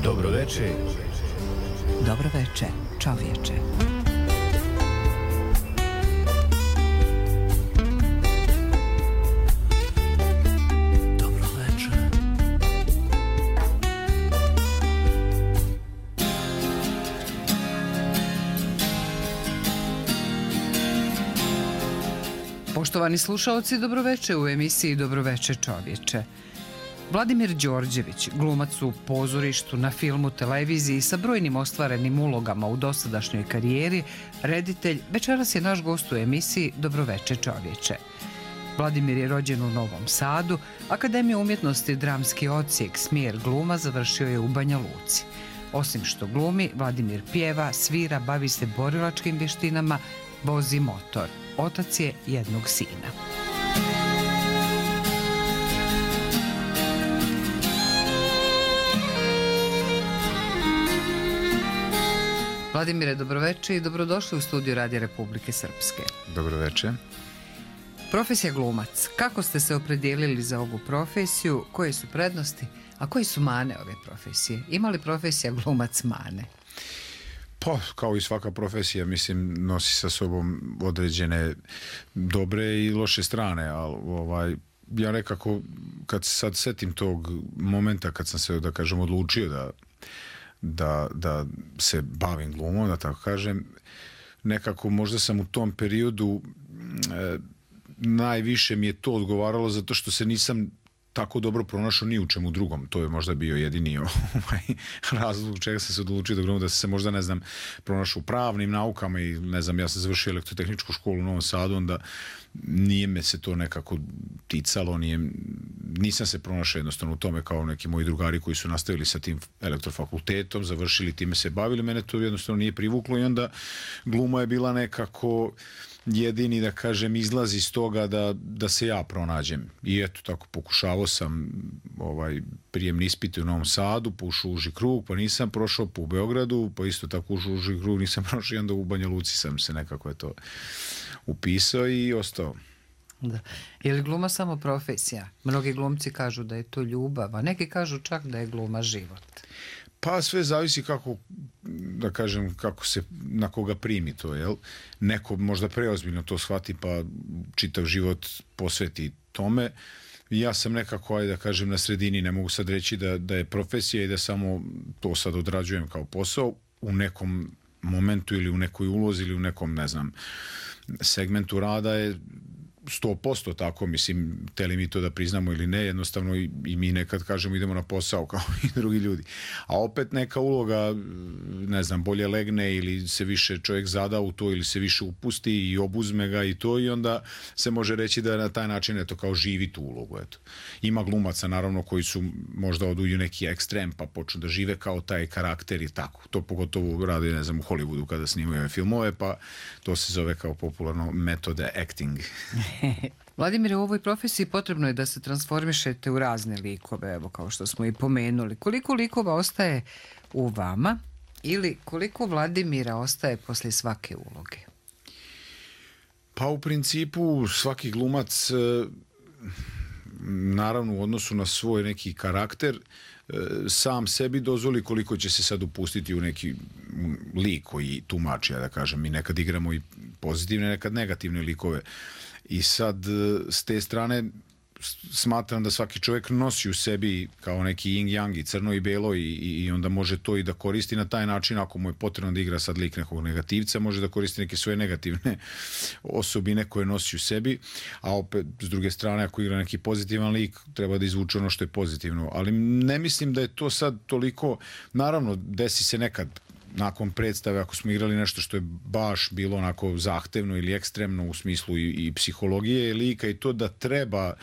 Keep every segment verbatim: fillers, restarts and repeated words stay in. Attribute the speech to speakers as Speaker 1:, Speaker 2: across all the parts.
Speaker 1: Dobroveče.
Speaker 2: Dobroveče, čovječe. Poštovani slušaoci, dobroveče u emisiji Dobroveče čovječe. Vladimir Đorđević, glumac u pozorištu, na filmu, televiziji sa brojnim ostvarenim ulogama u dosadašnjoj karijeri, reditelj, večeras je naš gost u emisiji Dobroveče čovječe. Vladimir je rođen u Novom Sadu, Akademiju umjetnosti dramski odsjek smjer gluma završio je u Banja Luci. Osim što glumi, Vladimir pjeva, svira, bavi se borilačkim vještinama, vozi motor. Otac je jednog sina. Vladimire, dobroveče i dobrodošli u studiju Radija Republike Srpske.
Speaker 1: Dobroveče.
Speaker 2: Profesija glumac. Kako ste se opredijelili za ovu profesiju? Koje su prednosti, a koje su mane ove profesije? Ima li profesija glumac mane?
Speaker 1: Pa, kao i svaka profesija, mislim, nosi sa sobom određene dobre i loše strane, ali ovaj, ja nekako, kad se sad setim tog momenta kad sam se, da kažem, odlučio da, da, da se bavim glumom, da tako kažem, nekako možda sam u tom periodu e, najviše mi je to odgovaralo zato što se nisam tako dobro pronašao ni u čemu drugom. To je možda bio jedini ovaj razlog čega sam se odlučio da glumim, da sam se možda, ne znam, pronašao u pravnim naukama i ne znam, ja sam završio elektrotehničku školu u Novom Sadu, onda nije me se to nekako ticalo, nije, nisam se pronašao jednostavno u tome kao neki moji drugari koji su nastavili sa tim elektrofakultetom, završili, time se bavili, mene to jednostavno nije privuklo i onda gluma je bila nekako jedini, da kažem, izlaz iz toga da, da se ja pronađem. I eto, tako pokušavao sam ovaj, prijemni ispit u Novom Sadu, pa ušao u uži krug, pa nisam prošao, pa u Beogradu, pa isto tako ušao u uži krug, nisam prošao i onda u Banja Luci sam se nekako je to upisao i ostao.
Speaker 2: Da. Je li gluma samo profesija? Mnogi glumci kažu da je to ljubav, a neki kažu čak da je gluma život.
Speaker 1: Pa sve zavisi kako, da kažem, kako se, na koga primi to, jel? Neko možda preozbiljno to shvati pa čitav život posveti tome. Ja sam nekako, ajde da kažem, na sredini, ne mogu sad reći da, da je profesija i da samo to sad odrađujem kao posao. U nekom momentu ili u nekoj ulozi ili u nekom, ne znam, segmentu rada je sto posto tako, mislim, teli mi to da priznamo ili ne, jednostavno i, i mi nekad kažemo idemo na posao kao i drugi ljudi. A opet neka uloga, ne znam, bolje legne ili se više čovjek zada u to ili se više upusti i obuzme ga i to i onda se može reći da na taj način eto kao živi tu ulogu. Eto. Ima glumaca naravno koji su možda odu u neki ekstrem pa počnu da žive kao taj karakter i tako. To pogotovo radi, ne znam, u Hollywoodu kada snimaju filmove, pa to se zove kao popularno metode acting.
Speaker 2: Vladimire, u ovoj profesiji potrebno je da se transformišete u razne likove, evo kao što smo i pomenuli. Koliko likova ostaje u vama ili koliko Vladimira ostaje poslije svake uloge?
Speaker 1: Pa u principu svaki glumac, naravno u odnosu na svoj neki karakter, sam sebi dozvoli koliko će se sad upustiti u neki lik koji tumači, ja da kažem, mi nekad igramo i pozitivne, nekad negativne likove. I sad s te strane smatram da svaki čovjek nosi u sebi kao neki yin yang i crno i belo i, i onda može to i da koristi na taj način. Ako mu je potrebno da igra sad lik nekog negativca, može da koristi neke svoje negativne osobine koje nosi u sebi, a opet s druge strane ako igra neki pozitivan lik treba da izvuče ono što je pozitivno, ali ne mislim da je to sad toliko, naravno desi se nekad nakon predstave, ako smo igrali nešto što je baš bilo onako zahtevno ili ekstremno u smislu i, i psihologije lika i to da treba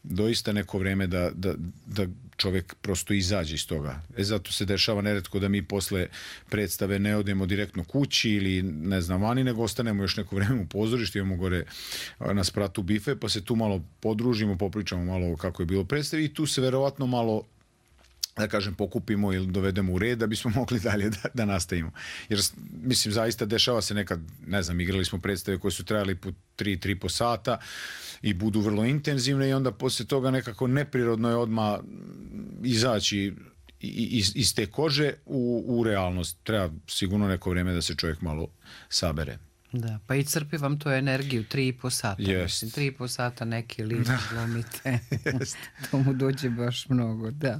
Speaker 1: doista neko vreme da, da, da čovjek prosto izađe iz toga. E zato se dešava neretko da mi posle predstave ne odemo direktno kući ili ne znam vani, nego ostanemo još neko vreme u pozorištu, imamo gore na spratu bife, pa se tu malo podružimo, popričamo malo kako je bilo predstave i tu se verovatno malo, da kažem, pokupimo ili dovedemo u red da bismo mogli dalje da, da nastavimo. Jer, mislim, zaista dešava se nekad, ne znam, igrali smo predstave koje su trajali po tri, tri po sata i budu vrlo intenzivne i onda poslije toga nekako neprirodno je odmah izaći iz, iz te kože u, u realnost. Treba sigurno neko vrijeme da se čovjek malo sabere.
Speaker 2: Da, pa i crpi vam to energiju, tri i po sata.
Speaker 1: Yes.
Speaker 2: Mislim, tri i po sata neki lik glumite. To mu dođe baš mnogo, da.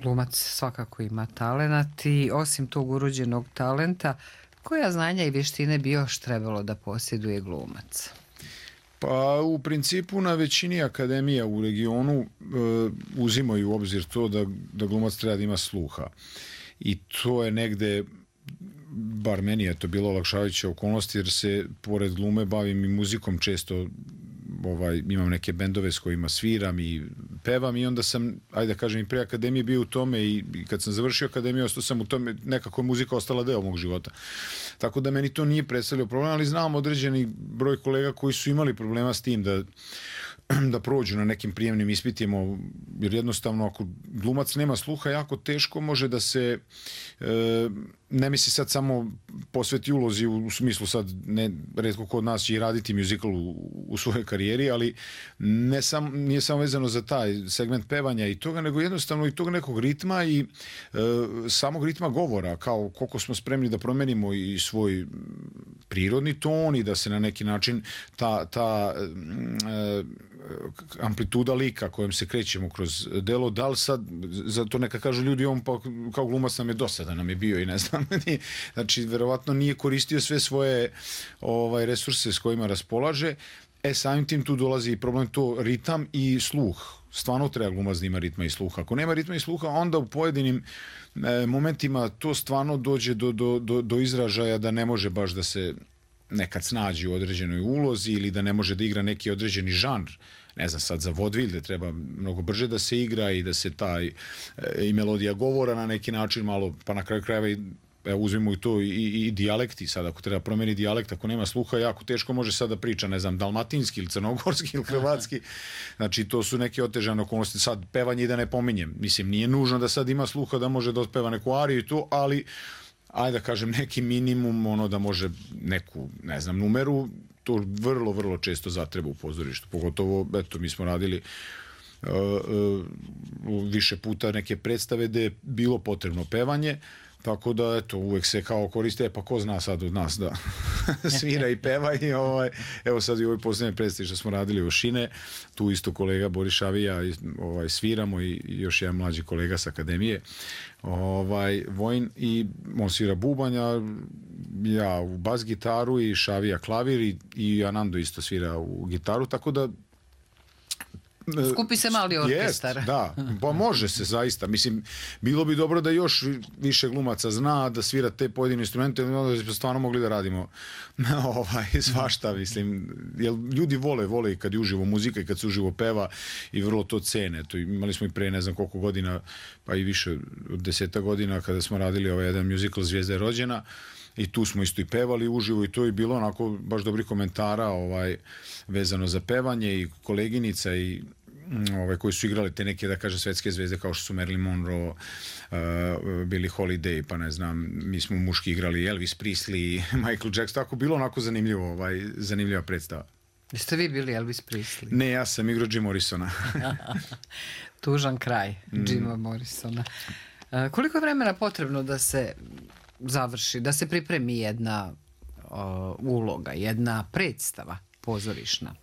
Speaker 2: Glumac svakako ima talenat i osim tog urođenog talenta, koja znanja i vještine bi još trebalo da posjeduje glumac?
Speaker 1: Pa u principu na većini akademija u regionu e, uzimaju u obzir to da, da glumac treba da ima sluha. I to je negde, bar meni je to bilo olakšavajuća okolnost, jer se pored glume bavim i muzikom često. Ovaj, imam neke bendove s kojima sviram i pevam i onda sam, ajde da kažem, i pre akademije bio u tome i, i kad sam završio akademiju ostao sam u tome, nekako je muzika ostala deo mog života. Tako da meni to nije predstavljao problem, ali znam određeni broj kolega koji su imali problema s tim da da prođu na nekim prijemnim ispitima, jer jednostavno ako glumac nema sluha, jako teško može da se e, ne misli sad samo posveti ulozi u, u smislu sad ne, retko kod nas će i raditi muzikal u, u svojoj karijeri, ali ne sam, nije samo vezano za taj segment pevanja i toga, nego jednostavno i tog nekog ritma i e, samog ritma govora, kao koliko smo spremni da promenimo i svoj prirodni ton i da se na neki način ta, ta e, amplituda lika kojom se krećemo kroz delo, da li sad, zato neka kažu ljudi, on pa kao glumac nam je dosadan, nam je bio i ne znam, znači verovatno nije koristio sve svoje ovaj, resurse s kojima raspolaže, e samim tim tu dolazi problem to ritam i sluh. Stvarno treba glumac da ima ritma i sluha. Ako nema ritma i sluha, onda u pojedinim e, momentima to stvarno dođe do, do, do, do izražaja da ne može baš da se nekad snađi u određenoj ulozi ili da ne može da igra neki određeni žanr. Ne znam, sad za vodvilj da treba mnogo brže da se igra i da se taj e, i melodija govora na neki način malo, pa na kraju krajeva i evo uzmimo i to i, i, i dijalekti sad, ako treba promeni dijalekt, ako nema sluha, jako teško može sad da priča, ne znam, dalmatinski ili crnogorski ili hrvatski, znači to su neke otežane okolnosti, sad pevanje i da ne pominjem, mislim, nije nužno da sad ima sluha da može da otpeva neku ariju i to, ali ajde da kažem neki minimum, ono da može neku, ne znam, numeru, to vrlo, vrlo često zatreba u pozorištu, pogotovo, eto, mi smo radili uh, uh, više puta neke predstave gde je bilo potrebno pevanje, tako da, eto, uvek se kao koriste, pa ko zna sad od nas da svira i peva i ovaj, evo sad i u ovoj posljednje predstavi što smo radili u Šine, tu isto kolega Boris Šavija ovaj, sviramo i još jedan mlađi kolega s akademije, ovaj, Vojn, i on svira bubanja, ja u bas gitaru i Šavija klavir i, i Anando isto svira u gitaru, tako da
Speaker 2: skupi se mali orkestar.
Speaker 1: Jest, da, pa može se zaista. Mislim, bilo bi dobro da još više glumaca zna da svira te pojedine instrumente, onda bi stvarno mogli da radimo ovaj, svašta, mislim. Jer ljudi vole, vole i kad je uživo muzika i kad se uživo peva i vrlo to cene. To imali smo i pre ne znam koliko godina, pa i više od deseta godina kada smo radili ovaj jedan musical Zvijezda je rođena. I tu smo isto i pevali uživo i to je bilo onako baš dobrih komentara ovaj, vezano za pevanje i koleginica i ovaj, koji su igrali te neke, da kaže, svetske zvezde kao što su Marilyn Monroe, uh, Billie Holiday, pa ne znam, mi smo muški igrali Elvis Presley, Michael Jackson, tako bilo onako zanimljivo, ovaj, zanimljiva predstava.
Speaker 2: Jeste vi bili Elvis Presley?
Speaker 1: Ne, ja sam igrao Jim Morrisona.
Speaker 2: Tužan kraj Jima mm. Morrisona. Uh, koliko je vremena potrebno da se završi, da se pripremi jedna uh, uloga, jedna predstava pozorišna?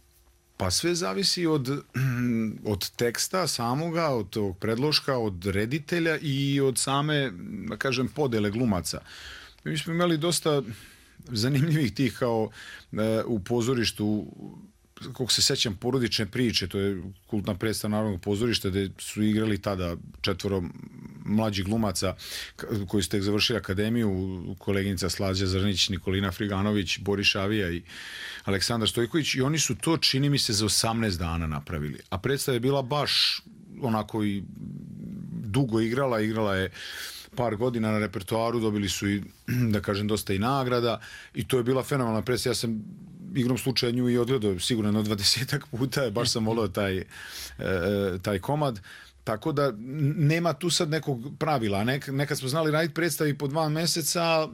Speaker 1: Pa sve zavisi od, od teksta samoga, od tog predloška, od reditelja i od same, da kažem, podele glumaca. Mi smo imali dosta zanimljivih tih kao uh, u pozorištu, kako se sećam, Porodične priče, to je kultna predstava Narodnog pozorišta gde su igrali tada četvoro mlađih glumaca koji su tek završili akademiju, koleginica Slađa Zrnić, Nikolina Friganović, Boris Šavija i Aleksandar Stojković, i oni su to, čini mi se, za osamnaest dana napravili. A predstava je bila baš onako i dugo igrala, igrala je par godina na repertoaru, dobili su i, da kažem, dosta i nagrada i to je bila fenomenalna predstava. Ja sam igrom slučaja nju i odgledao sigurno na dvadesetak puta, baš sam volio taj, e, taj komad. Tako da nema tu sad nekog pravila. Nek, nekad smo znali raditi predstavi po dva meseca,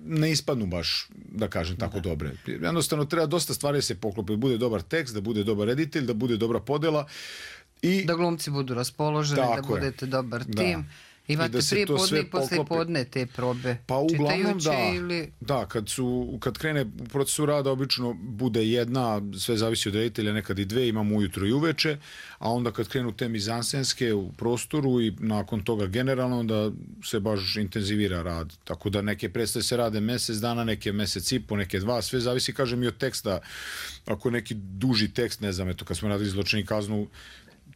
Speaker 1: ne ispadnu baš, da kažem, tako da. Dobre. Jednostavno treba dosta stvari da se poklope, da bude dobar tekst, da bude dobar reditelj, da bude dobra podela
Speaker 2: I, da glumci budu raspoloženi, da budete je. dobar tim. Da. Imate da prije podne i poslije podne te probe?
Speaker 1: Pa uglavnom da,
Speaker 2: ili...
Speaker 1: da kad, su, kad krene u procesu rada obično bude jedna, sve zavisi od reditelja, nekad i dve, imamo ujutro i uveče, a onda kad krenu te mizansenske u prostoru i nakon toga generalno, onda se baš intenzivira rad. Tako da neke predstave se rade mesec dana, neke mesec i po, neke dva, sve zavisi, kažem, i od teksta. Ako neki duži tekst, ne znam, eto, kad smo radili Zločin i kaznu,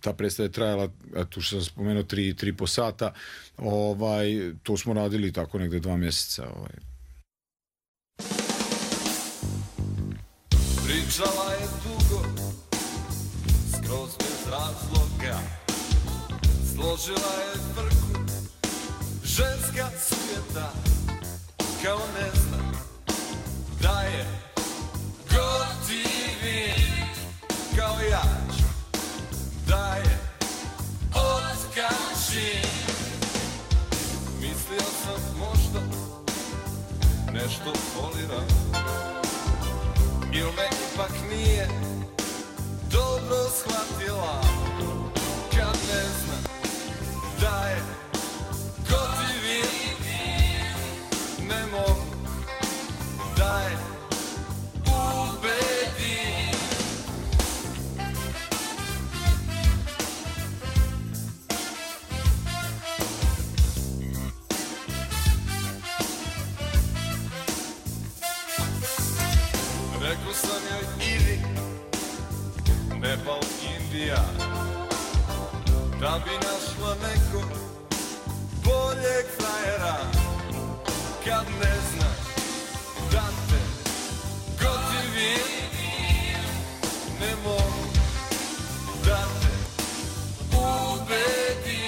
Speaker 1: ta predstava je trajala, eto što sam spomenuo, tri, tri po sata, ovaj, to smo radili tako negde dva mjeseca. Ovaj.
Speaker 3: Pričala je dugo, skroz bez razloga, složila je frku, ženska sujeta, kao ne zna da je gotivi, kao ja. Da je otkači. Mislio sam možda nešto folira, il me ipak nije dobro shvatila, kad ne zna da je gotivi, ne mogu da je ubedim. Rekao sam joj idi, Nepal, Indija, da bi našla nekog boljeg frajera, kad ne znaš da te gotivim, ne mogu da te ubedim.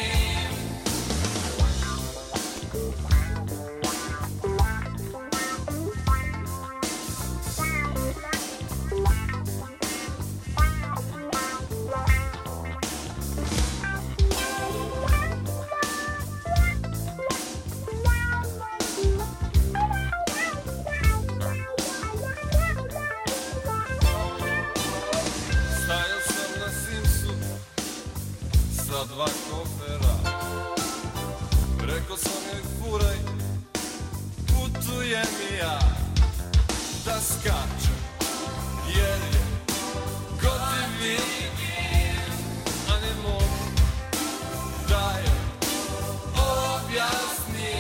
Speaker 3: Dva kofera, rekao sam joj furaj, putujem i ja, da skačem, jer je gotivi, a ne mogu da je objasnim.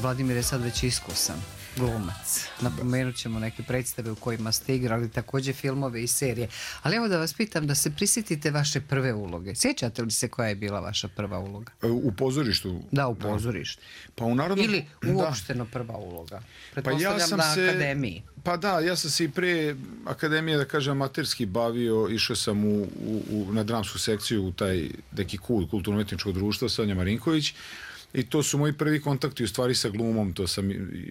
Speaker 2: Vladimir je sad već iskusan glumac. Napomenut ćemo neke predstave u kojima ste igrali, također filmove i serije. Ali evo da vas pitam, da se prisjetite vaše prve uloge. Sjećate li se koja je bila vaša prva uloga?
Speaker 1: U pozorištu?
Speaker 2: Da, u pozorištu.
Speaker 1: Da. Pa u narodnom...
Speaker 2: Ili uopšteno da. Prva uloga. Pretpostavljam pa ja sam na se... akademiji.
Speaker 1: Pa da, ja sam se i pre akademije, da kažem, amaterski bavio, išao sam u, u, u, na dramsku sekciju u taj neki kult, kulturno-umetničko društvo, Sanja Marinković. I to su moji prvi kontakti u stvari sa glumom. To sam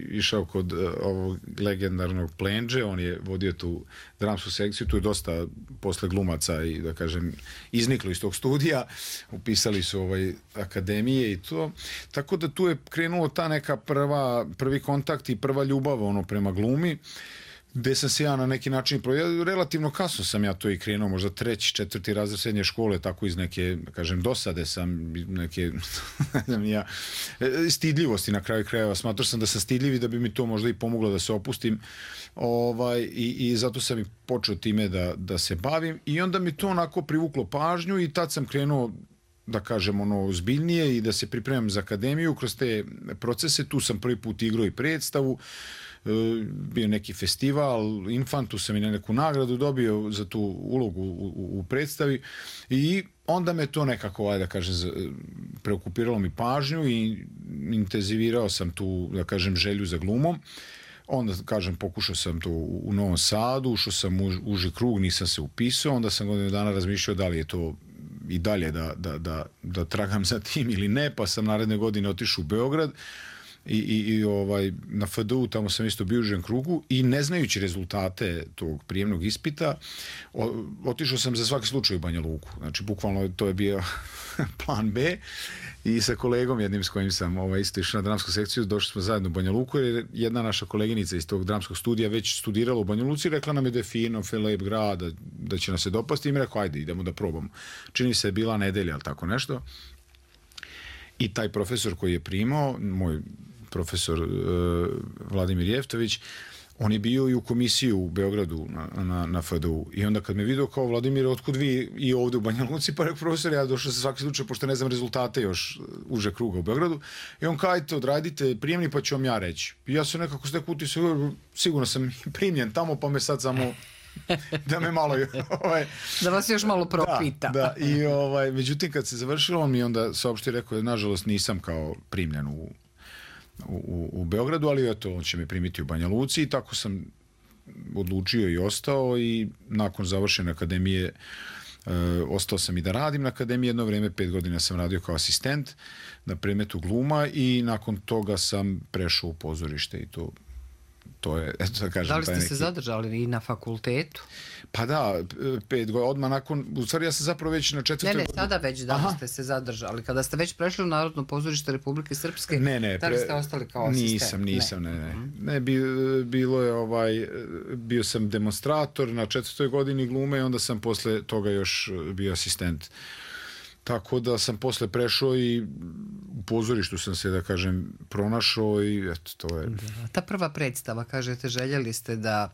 Speaker 1: išao kod uh, ovog legendarnog Plenđe, on je vodio tu dramsku sekciju, tu je dosta posle glumaca i da kažem izniklo iz tog studija, upisali su ovaj akademije i to, tako da tu je krenulo ta neka prva, prvi kontakt i prva ljubav ono prema glumi. gde sam se ja na neki način, ja, relativno kasno sam ja to i krenuo, možda treći, četvrti razred srednje škole, tako iz neke, kažem, dosade sam, neke, ne znam ja, stidljivosti na kraju krajeva. Smatrao sam da sam stidljiv i da bi mi to možda i pomoglo da se opustim. Ovaj, i, i zato sam i počeo time da, da se bavim i onda mi to onako privuklo pažnju i tad sam krenuo, da kažem, ono ozbiljnije i da se pripremam za akademiju kroz te procese. Tu sam prvi put igrao i predstavu, bio neki festival, Infantu sam i neku nagradu dobio za tu ulogu u, u, u predstavi i onda me to nekako, ajde da kažem, preokupiralo mi pažnju i intenzivirao sam tu, da kažem, želju za glumom. Onda, kažem, pokušao sam to u Novom Sadu, ušao sam u uži krug, nisam se upisao, onda sam godinu dana razmišljao da li je to i dalje da, da, da, da tragam za tim ili ne, pa sam naredne godine otišao u Beograd i, i, i ovaj, na F D U, tamo sam isto bio u užem krugu i ne znajući rezultate tog prijemnog ispita, o, otišao sam za svaki slučaj u Banja Luku. Znači, bukvalno to je bio plan B i sa kolegom jednim s kojim sam ovaj, isto išao na dramsku sekciju, došli smo zajedno u Banja Luku jer jedna naša koleginica iz tog dramskog studija već studirala u Banja Luci i rekla nam je da je fino, lep grad, da, da će nas se dopasti i mi rekao, ajde, idemo da probamo. Čini se je bila nedelja, ali tako nešto. I taj profesor koji je primao, moj profesor uh, Vladimir Jeftović, on je bio i u komisiju u Beogradu na, na, na F D U. I onda kad me vidio kao Vladimir, otkud vi i ovde u Banja Luci, pa rekao, profesor, ja došao sa svaki slučaj, pošto ne znam rezultate još uže kruga u Beogradu. I on kao, ajte, odradite prijemni, pa ću vam ja reći. I ja sam nekako stek utisao, sigurno sam primljen tamo, pa me sad samo da me malo ovaj,
Speaker 2: da vas još malo propita.
Speaker 1: Da, da. I ovaj, međutim kad se završilo, on mi onda saopštio, rekao, nažalost nisam kao primljen u U, u Beogradu, ali eto, on će me primiti u Banja Luci i tako sam odlučio i ostao i nakon završene akademije e, ostao sam i da radim na akademiji. Jedno vrijeme, pet godina sam radio kao asistent na predmetu gluma i nakon toga sam prešao u pozorište i to to je, eto da kažem,
Speaker 2: da li ste
Speaker 1: taj neki...
Speaker 2: se zadržali i na fakultetu?
Speaker 1: Pa da, pet godina, odmah nakon, u stvari ja sam zapravo već na četvrtoj
Speaker 2: godini... Ne, ne,
Speaker 1: godini...
Speaker 2: sada već da li ste se zadržali. Kada ste već prešli u Narodno pozorište Republike Srpske,
Speaker 1: ne, ne,
Speaker 2: da li ste ostali kao asistent?
Speaker 1: Nisam, nisam, ne, ne. Ne, ne bi, bilo je ovaj, bio sam demonstrator na četvrtoj godini glume i onda sam posle toga još bio asistent. Tako da sam posle prešao i u pozorištu sam se, da kažem, pronašao i eto, to je...
Speaker 2: Da, ta prva predstava, kažete, željeli ste da,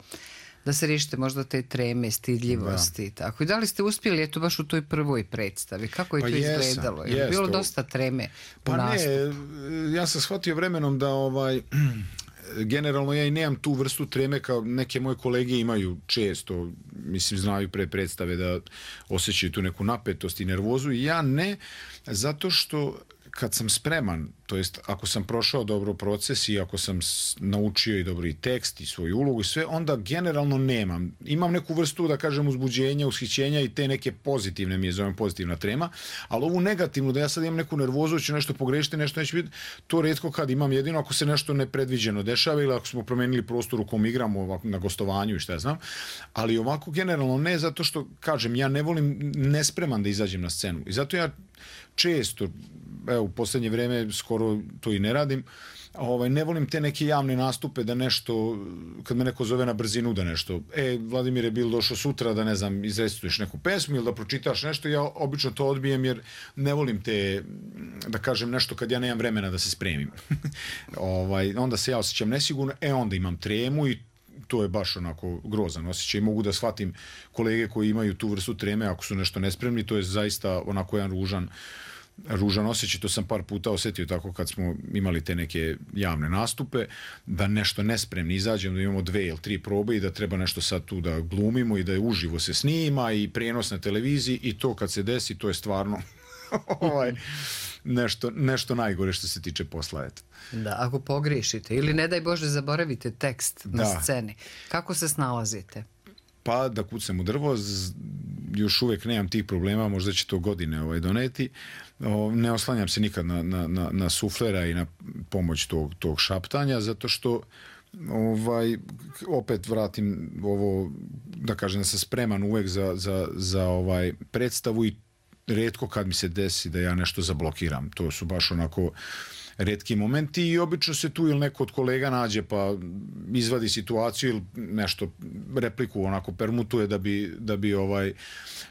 Speaker 2: da se riješite možda te treme, stidljivosti. Da. Tako. I da li ste uspjeli, eto, baš u toj prvoj predstavi? Kako je
Speaker 1: pa
Speaker 2: to
Speaker 1: jesam,
Speaker 2: izgledalo? Je
Speaker 1: jest,
Speaker 2: bilo
Speaker 1: to...
Speaker 2: dosta treme u
Speaker 1: pa
Speaker 2: nastupu?
Speaker 1: Ne, ja sam shvatio vremenom da ovaj... generalno ja i nemam tu vrstu treme kao neke moje kolege imaju često, mislim, znaju pre predstave da osjećaju tu neku napetost i nervozu i ja ne, zato što kad sam spreman, to jest ako sam prošao dobro proces i ako sam naučio i dobro i tekst i svoju ulogu i sve, onda generalno nemam. Imam neku vrstu, da kažem, uzbuđenja, ushićenja i te neke pozitivne, mi je zovem pozitivna trema, ali ovu negativnu, da ja sad imam neku nervozu, ću nešto pogrešiti, nešto neće biti, to retko kad imam, jedino ako se nešto nepredviđeno dešava ili ako smo promenili prostor u kom igramo na gostovanju i šta ja znam, ali ovako generalno ne, zato što, kažem, ja ne volim nespreman da izađem na scenu i zato ja često, evo, u posljednje vreme skoro to i ne radim, ovaj, ne volim te neke javne nastupe da nešto, kad me neko zove na brzinu da nešto, e, Vladimir je bil došao sutra da, ne znam, izrecituješ neku pesmu ili da pročitaš nešto, ja obično to odbijem jer ne volim te, da kažem, nešto kad ja nemam vremena da se spremim. ovaj, onda se ja osjećam nesigurno, e, onda imam tremu i to je baš onako grozan osjećaj i mogu da shvatim kolege koji imaju tu vrstu treme ako su nešto nespremni, to je zaista onako jedan ružan ružan osjećaj, to sam par puta osjetio tako kad smo imali te neke javne nastupe, da nešto nespremni izađemo, da imamo dve ili tri probe i da treba nešto sad tu da glumimo i da je uživo se snima i prijenos na televiziji i to kad se desi, to je stvarno ovaj, nešto, nešto najgore što se tiče posla. Eto.
Speaker 2: Da, ako pogriješite ili ne daj Bože zaboravite tekst na
Speaker 1: da.
Speaker 2: sceni, kako se snalazite?
Speaker 1: Pa da kucam u drvo, još uvijek nemam tih problema, možda će to godine ovaj, doneti. O, ne oslanjam se nikad na, na, na, na suflera i na pomoć tog, tog šaptanja, zato što ovaj, opet vratim ovo, da kažem da sam spreman uvijek za, za, za ovaj predstavu i retko kad mi se desi da ja nešto zablokiram. To su baš onako retki momenti i obično se tu ili neko od kolega nađe pa izvadi situaciju ili nešto repliku onako permutuje da bi, da bi ovaj,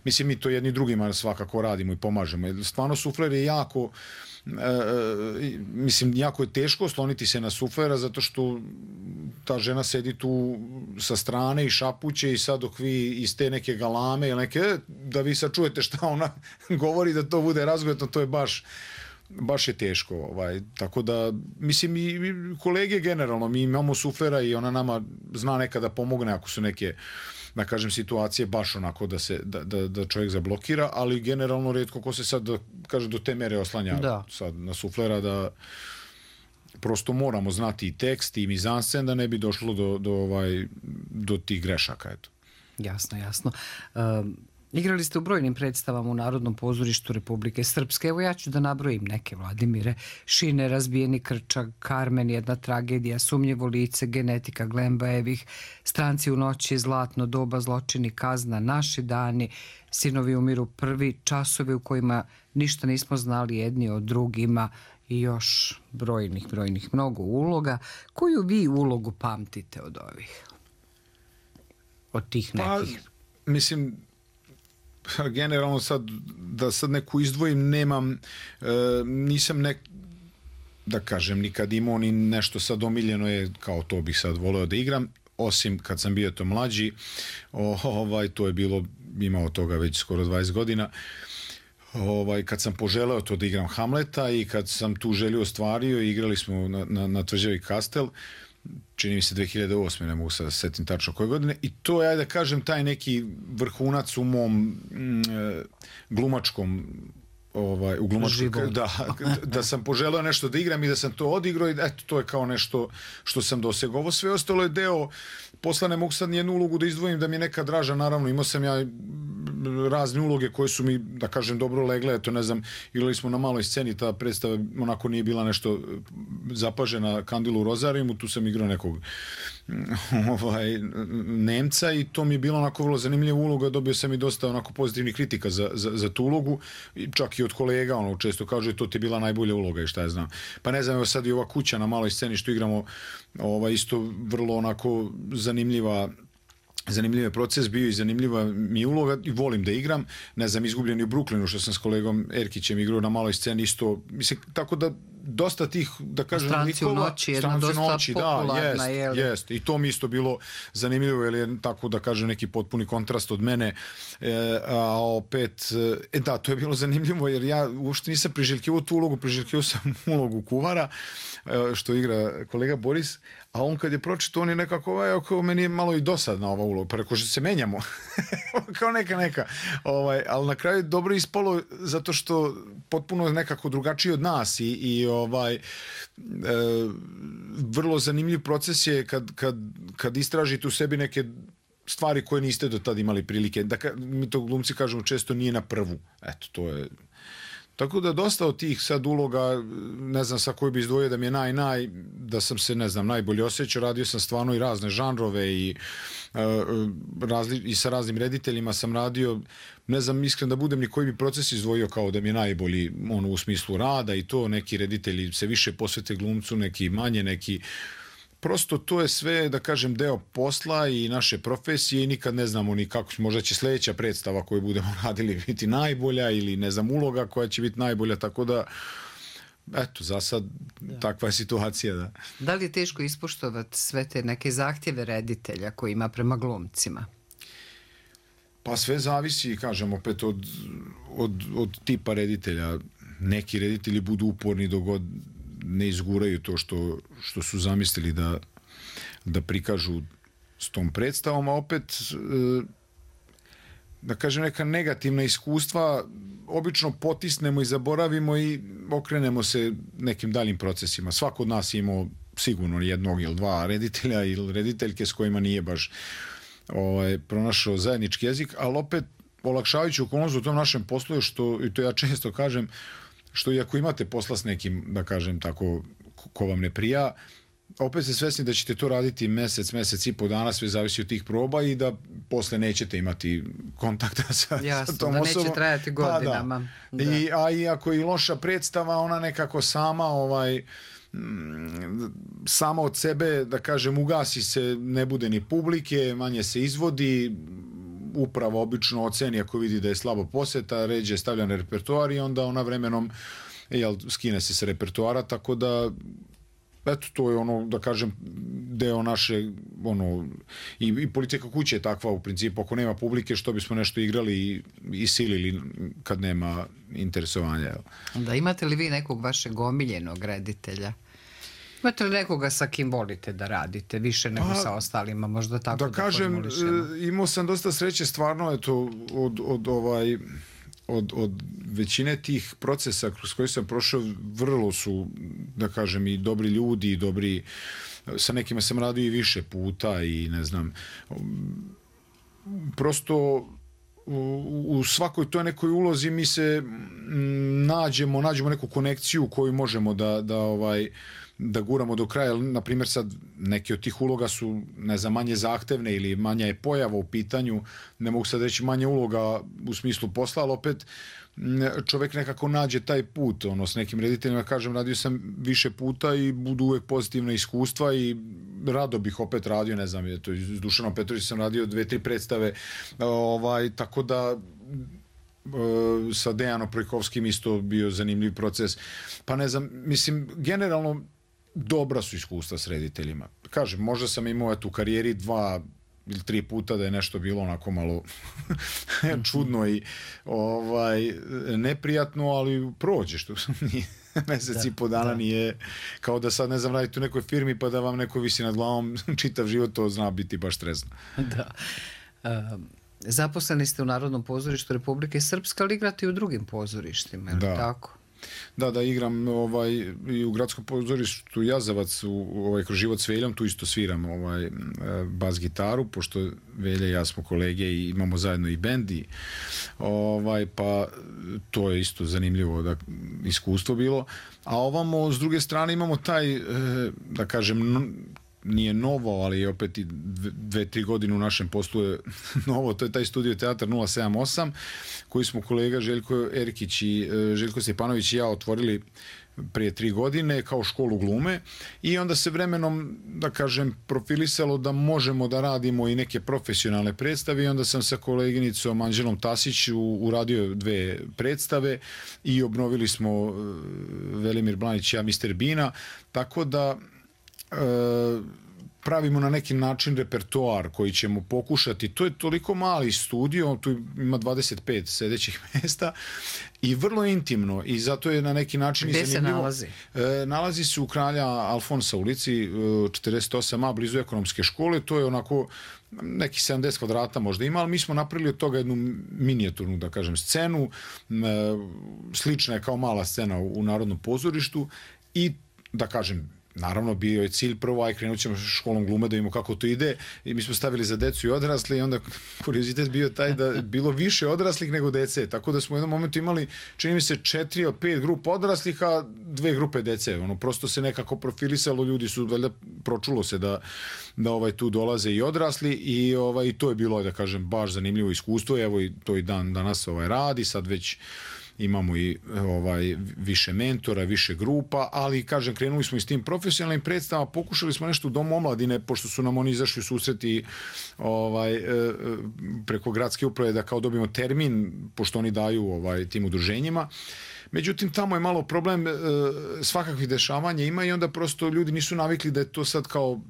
Speaker 1: mislim mi to jedni drugima svakako radimo i pomažemo. Stvarno sufler je jako E, mislim, jako je teško osloniti se na suflera zato što ta žena sedi tu sa strane i šapuće i sad dok vi iz te neke galame ili neke, da vi sad čujete šta ona govori, da to bude razgojetno, to je baš baš je teško, ovaj, tako da mislim i kolege generalno, mi imamo suflera i ona nama zna nekada pomogne ako su neke, da kažem, situacije baš onako da se da, da, da čovjek zablokira, ali generalno rijetko ko se sad, da kaže, do te mere oslanja da. Sad na suflera, da prosto moramo znati i tekst i mizanscen da ne bi došlo do, do, ovaj, do tih grešaka, eto.
Speaker 2: Jasno, jasno. Um... Igrali ste u brojnim predstavama u Narodnom pozorištu Republike Srpske. Evo ja ću da nabrojim neke, Vladimire. Šine, Razbijeni krčak, Karmen, Jedna tragedija, Sumnjivo lice, Genetika Glembajevih, Stranci u noći, Zlatno doba, Zločini, kazna, Naši dani, Sinovi umiru prvi, Časovi u kojima ništa nismo znali jedni od drugima i još brojnih, brojnih mnogo uloga. Koju vi ulogu pamtite od ovih? Od tih nekih?
Speaker 1: Pa, mislim, generalno sad, da sad neku izdvojim, nemam, e, nisam nek, da kažem, nikad imao ni nešto sad omiljeno je, kao to bih sad voleo da igram, osim kad sam bio to mlađi, o, ovaj, to je bilo, imao toga već skoro dvadeset godina, ovaj, kad sam poželeo to da igram Hamleta i kad sam tu želju ostvario, igrali smo na, na, na Tvrđavi Kastel, čini mi se dve hiljade osme, ne mogu sad da se setim tačno koje godine, i to je, ajde da kažem, taj neki vrhunac u mom mm, glumačkom ovaj, u glumačkom, da, da sam poželeo nešto da igram i da sam to odigrao i eto, to je kao nešto što sam dosegao. Ovo sve ostalo je deo, posle ne mogu sad nijednu ulogu da izdvojim da mi je neka draža, naravno imao sam ja razne uloge koje su mi, da kažem, dobro legle, eto, ne znam, igrali smo na maloj sceni, ta predstava onako nije bila nešto zapažena, Kandilu u Rozarijumu, tu sam igrao nekog ovaj, Nemca i to mi je bilo onako vrlo zanimljiva uloga, dobio sam i dosta onako pozitivnih kritika za, za, za tu ulogu, čak i od kolega, ono, često kažu to ti je bila najbolja uloga i šta ja znam. Pa ne znam, evo sad i ova kuća na maloj sceni što igramo, ovaj, isto vrlo onako zanimljiva zanimljiv je proces bio i zanimljiva mi uloga i volim da igram. Ne znam, Izgubljeni u Brooklynu, što sam s kolegom Erkićem igrao na maloj sceni isto, mislim, tako da dosta tih, da kažem,
Speaker 2: Stranci u noći, jedna dosta noći, popularna,
Speaker 1: da, jest, jest. I to mi isto bilo zanimljivo, jer je tako, da kažem, neki potpuni kontrast od mene, e, a opet, e, da, to je bilo zanimljivo, jer ja uopšte nisam priželjkivao tu ulogu, priželjkivao sam ulogu kuvara, e, što igra kolega Boris, a on kad je pročitao, on je nekako, ovaj, kao meni je malo i dosadna ova uloga, pa rekao što se menjamo, kao neka neka, ovaj, ali na kraju dobro ispalo, zato što potpuno nekako drugačiji od nas i, i ovaj, e, vrlo zanimljiv proces je kad, kad, kad istražite u sebi neke stvari koje niste do tada imali prilike, da ka, mi to glumci kažemo često nije na prvu, eto, to je. Tako da dosta od tih sad uloga, ne znam sa koji bi izdvojio da mi je naj, naj, da sam se, ne znam, najbolje osjećao, radio sam stvarno i razne žanrove i, uh, razli, i sa raznim rediteljima sam radio, ne znam, iskren da budem, ni koji bi proces izdvojio kao da mi je najbolji, ono, u smislu rada i to, neki reditelji se više posvete glumcu, neki manje, neki. Prosto to je sve, da kažem, deo posla i naše profesije i nikad ne znamo ni kako, možda će sljedeća predstava koju budemo radili biti najbolja ili ne znam, uloga koja će biti najbolja, tako da eto, za sad da. Takva je situacija. Da.
Speaker 2: Da li je teško ispoštovati sve te neke zahtjeve reditelja koji ima prema glumcima?
Speaker 1: Pa sve zavisi, kažem, opet od, od, od tipa reditelja. Neki reditelji budu uporni dok god ne izguraju to što, što su zamislili da, da prikažu s tom predstavom, a opet da kažem neka negativna iskustva obično potisnemo i zaboravimo i okrenemo se nekim daljim procesima. Svako od nas je imao sigurno jednog ili dva reditelja ili rediteljke s kojima nije baš ovaj, pronašao zajednički jezik, ali opet olakšavajući okolnost u tom našem poslu, što, i to ja često kažem, što i ako imate posla s nekim, da kažem tako, ko vam ne prija, opet ste svesni da ćete to raditi mesec, mesec i po dana, sve zavisi od tih proba i da posle nećete imati kontakta sa,
Speaker 2: Jasno,
Speaker 1: sa tom
Speaker 2: da
Speaker 1: osobom.
Speaker 2: neće trajati godinama.
Speaker 1: Pa da. Da. I, a i ako je i loša predstava, ona nekako sama ovaj, sama od sebe, da kažem, ugasi se, ne bude ni publike, manje se izvodi, upravo obično oceni ako vidi da je slabo poseta, ređe stavlja na repertoar i onda ona vremenom jel, skine se sa repertoara, tako da eto, to je ono, da kažem, deo naše, ono, i, i politika kuće je takva u principu, ako nema publike, što bismo nešto igrali i, i silili kad nema interesovanja. Jel?
Speaker 2: Da, imate li vi nekog vašeg omiljenog reditelja? Imate li nekoga sa kim volite da radite, više nego pa, sa ostalima, možda tako da, da kažem, formulišemo?
Speaker 1: Imao sam dosta sreće, stvarno, eto, od, od ovaj... Od, od većine tih procesa kroz koji sam prošao, vrlo su, da kažem, i dobri ljudi, i dobri, sa nekima sam radio i više puta i ne znam, prosto u, u svakoj toj nekoj ulozi mi se nađemo, nađemo neku konekciju koju možemo da, da ovaj, da guramo do kraja. Na primjer, sad neke od tih uloga su, ne znam, manje zahtevne ili manja je pojava u pitanju, ne mogu sad reći manje uloga u smislu posla, ali opet čovjek nekako nađe taj put, ono, s nekim rediteljima, kažem, radio sam više puta i budu uvek pozitivna iskustva i rado bih opet radio, ne znam, to s Dušanom Petrovićem sam radio dve, tri predstave, ovaj, tako da sa Dejanom Projkovskim isto bio zanimljiv proces, pa ne znam, mislim, generalno dobra su iskustva s rediteljima. Kažem, možda sam imao u karijeri dva ili tri puta da je nešto bilo onako malo čudno i ovaj, neprijatno, ali prođe, što nije mesec i po dana da. Nije kao da sad, ne znam, radite u nekoj firmi pa da vam neko visi nad glavom čitav život, to zna biti baš stresno.
Speaker 2: Da. Um, zaposleni ste u Narodnom pozorištu Republike Srpske, ali igrate i u drugim pozorištima, je li
Speaker 1: da.
Speaker 2: Tako?
Speaker 1: Da, da, igram ovaj, i u gradskom pozorištu Jazavac, u, ovaj, kroz život s Veljom, tu isto sviram ovaj, bas gitaru, pošto Velja i ja smo kolege i imamo zajedno i bend, i, ovaj, pa to je isto zanimljivo da, iskustvo bilo. A ovamo, s druge strane, imamo taj, da kažem, nije novo, ali opet i dve, tri godine u našem poslu je novo, to je taj studio teatar nula sedam osam, koji smo kolega Željko Erkić i Željko Stjepanović i ja otvorili prije tri godine kao školu glume i onda se vremenom, da kažem, profilisalo da možemo da radimo i neke profesionalne predstave i onda sam sa koleginicom Anđelom Tasić uradio dve predstave i obnovili smo Velimir Blanić i ja mister Bina, tako da pravimo na neki način repertoar koji ćemo pokušati. To je toliko mali studio, tu ima dvadeset pet sedećih mjesta i vrlo intimno i zato je na neki način
Speaker 2: Gde
Speaker 1: zanimljivo.
Speaker 2: Se nalazi?
Speaker 1: E, nalazi se u Kralja Alfonsa ulici četrdeset osam a, blizu ekonomske škole. To je onako neki sedamdeset kvadrata možda ima, ali mi smo napravili od toga jednu minijaturnu, da kažem, scenu. E, slična je kao mala scena u, u Narodnom pozorištu i, da kažem, naravno, bio je cilj prvo, aj krenut ćemo školom glume da vidimo kako to ide i mi smo stavili za decu i odrasli i onda kuriozitet bio taj da je bilo više odraslih nego dece, tako da smo u jednom momentu imali, čini mi se, četiri od pet grupa odraslih, a dve grupe dece, ono, prosto se nekako profilisalo, ljudi su, valjda, pročulo se da, da ovaj, tu dolaze i odrasli i ovaj, to je bilo, da kažem, baš zanimljivo iskustvo, evo i to i dan danas ovaj, radi, sad već imamo i ovaj, više mentora, više grupa, ali, kažem, krenuli smo i s tim profesionalnim predstavama, pokušali smo nešto u Domu omladine, pošto su nam oni izašli u susreti ovaj, preko gradske uprave da kao dobijemo termin, pošto oni daju ovaj, tim udruženjima. Međutim, tamo je malo problem, svakakvih dešavanja ima i onda prosto ljudi nisu navikli da je to sad kao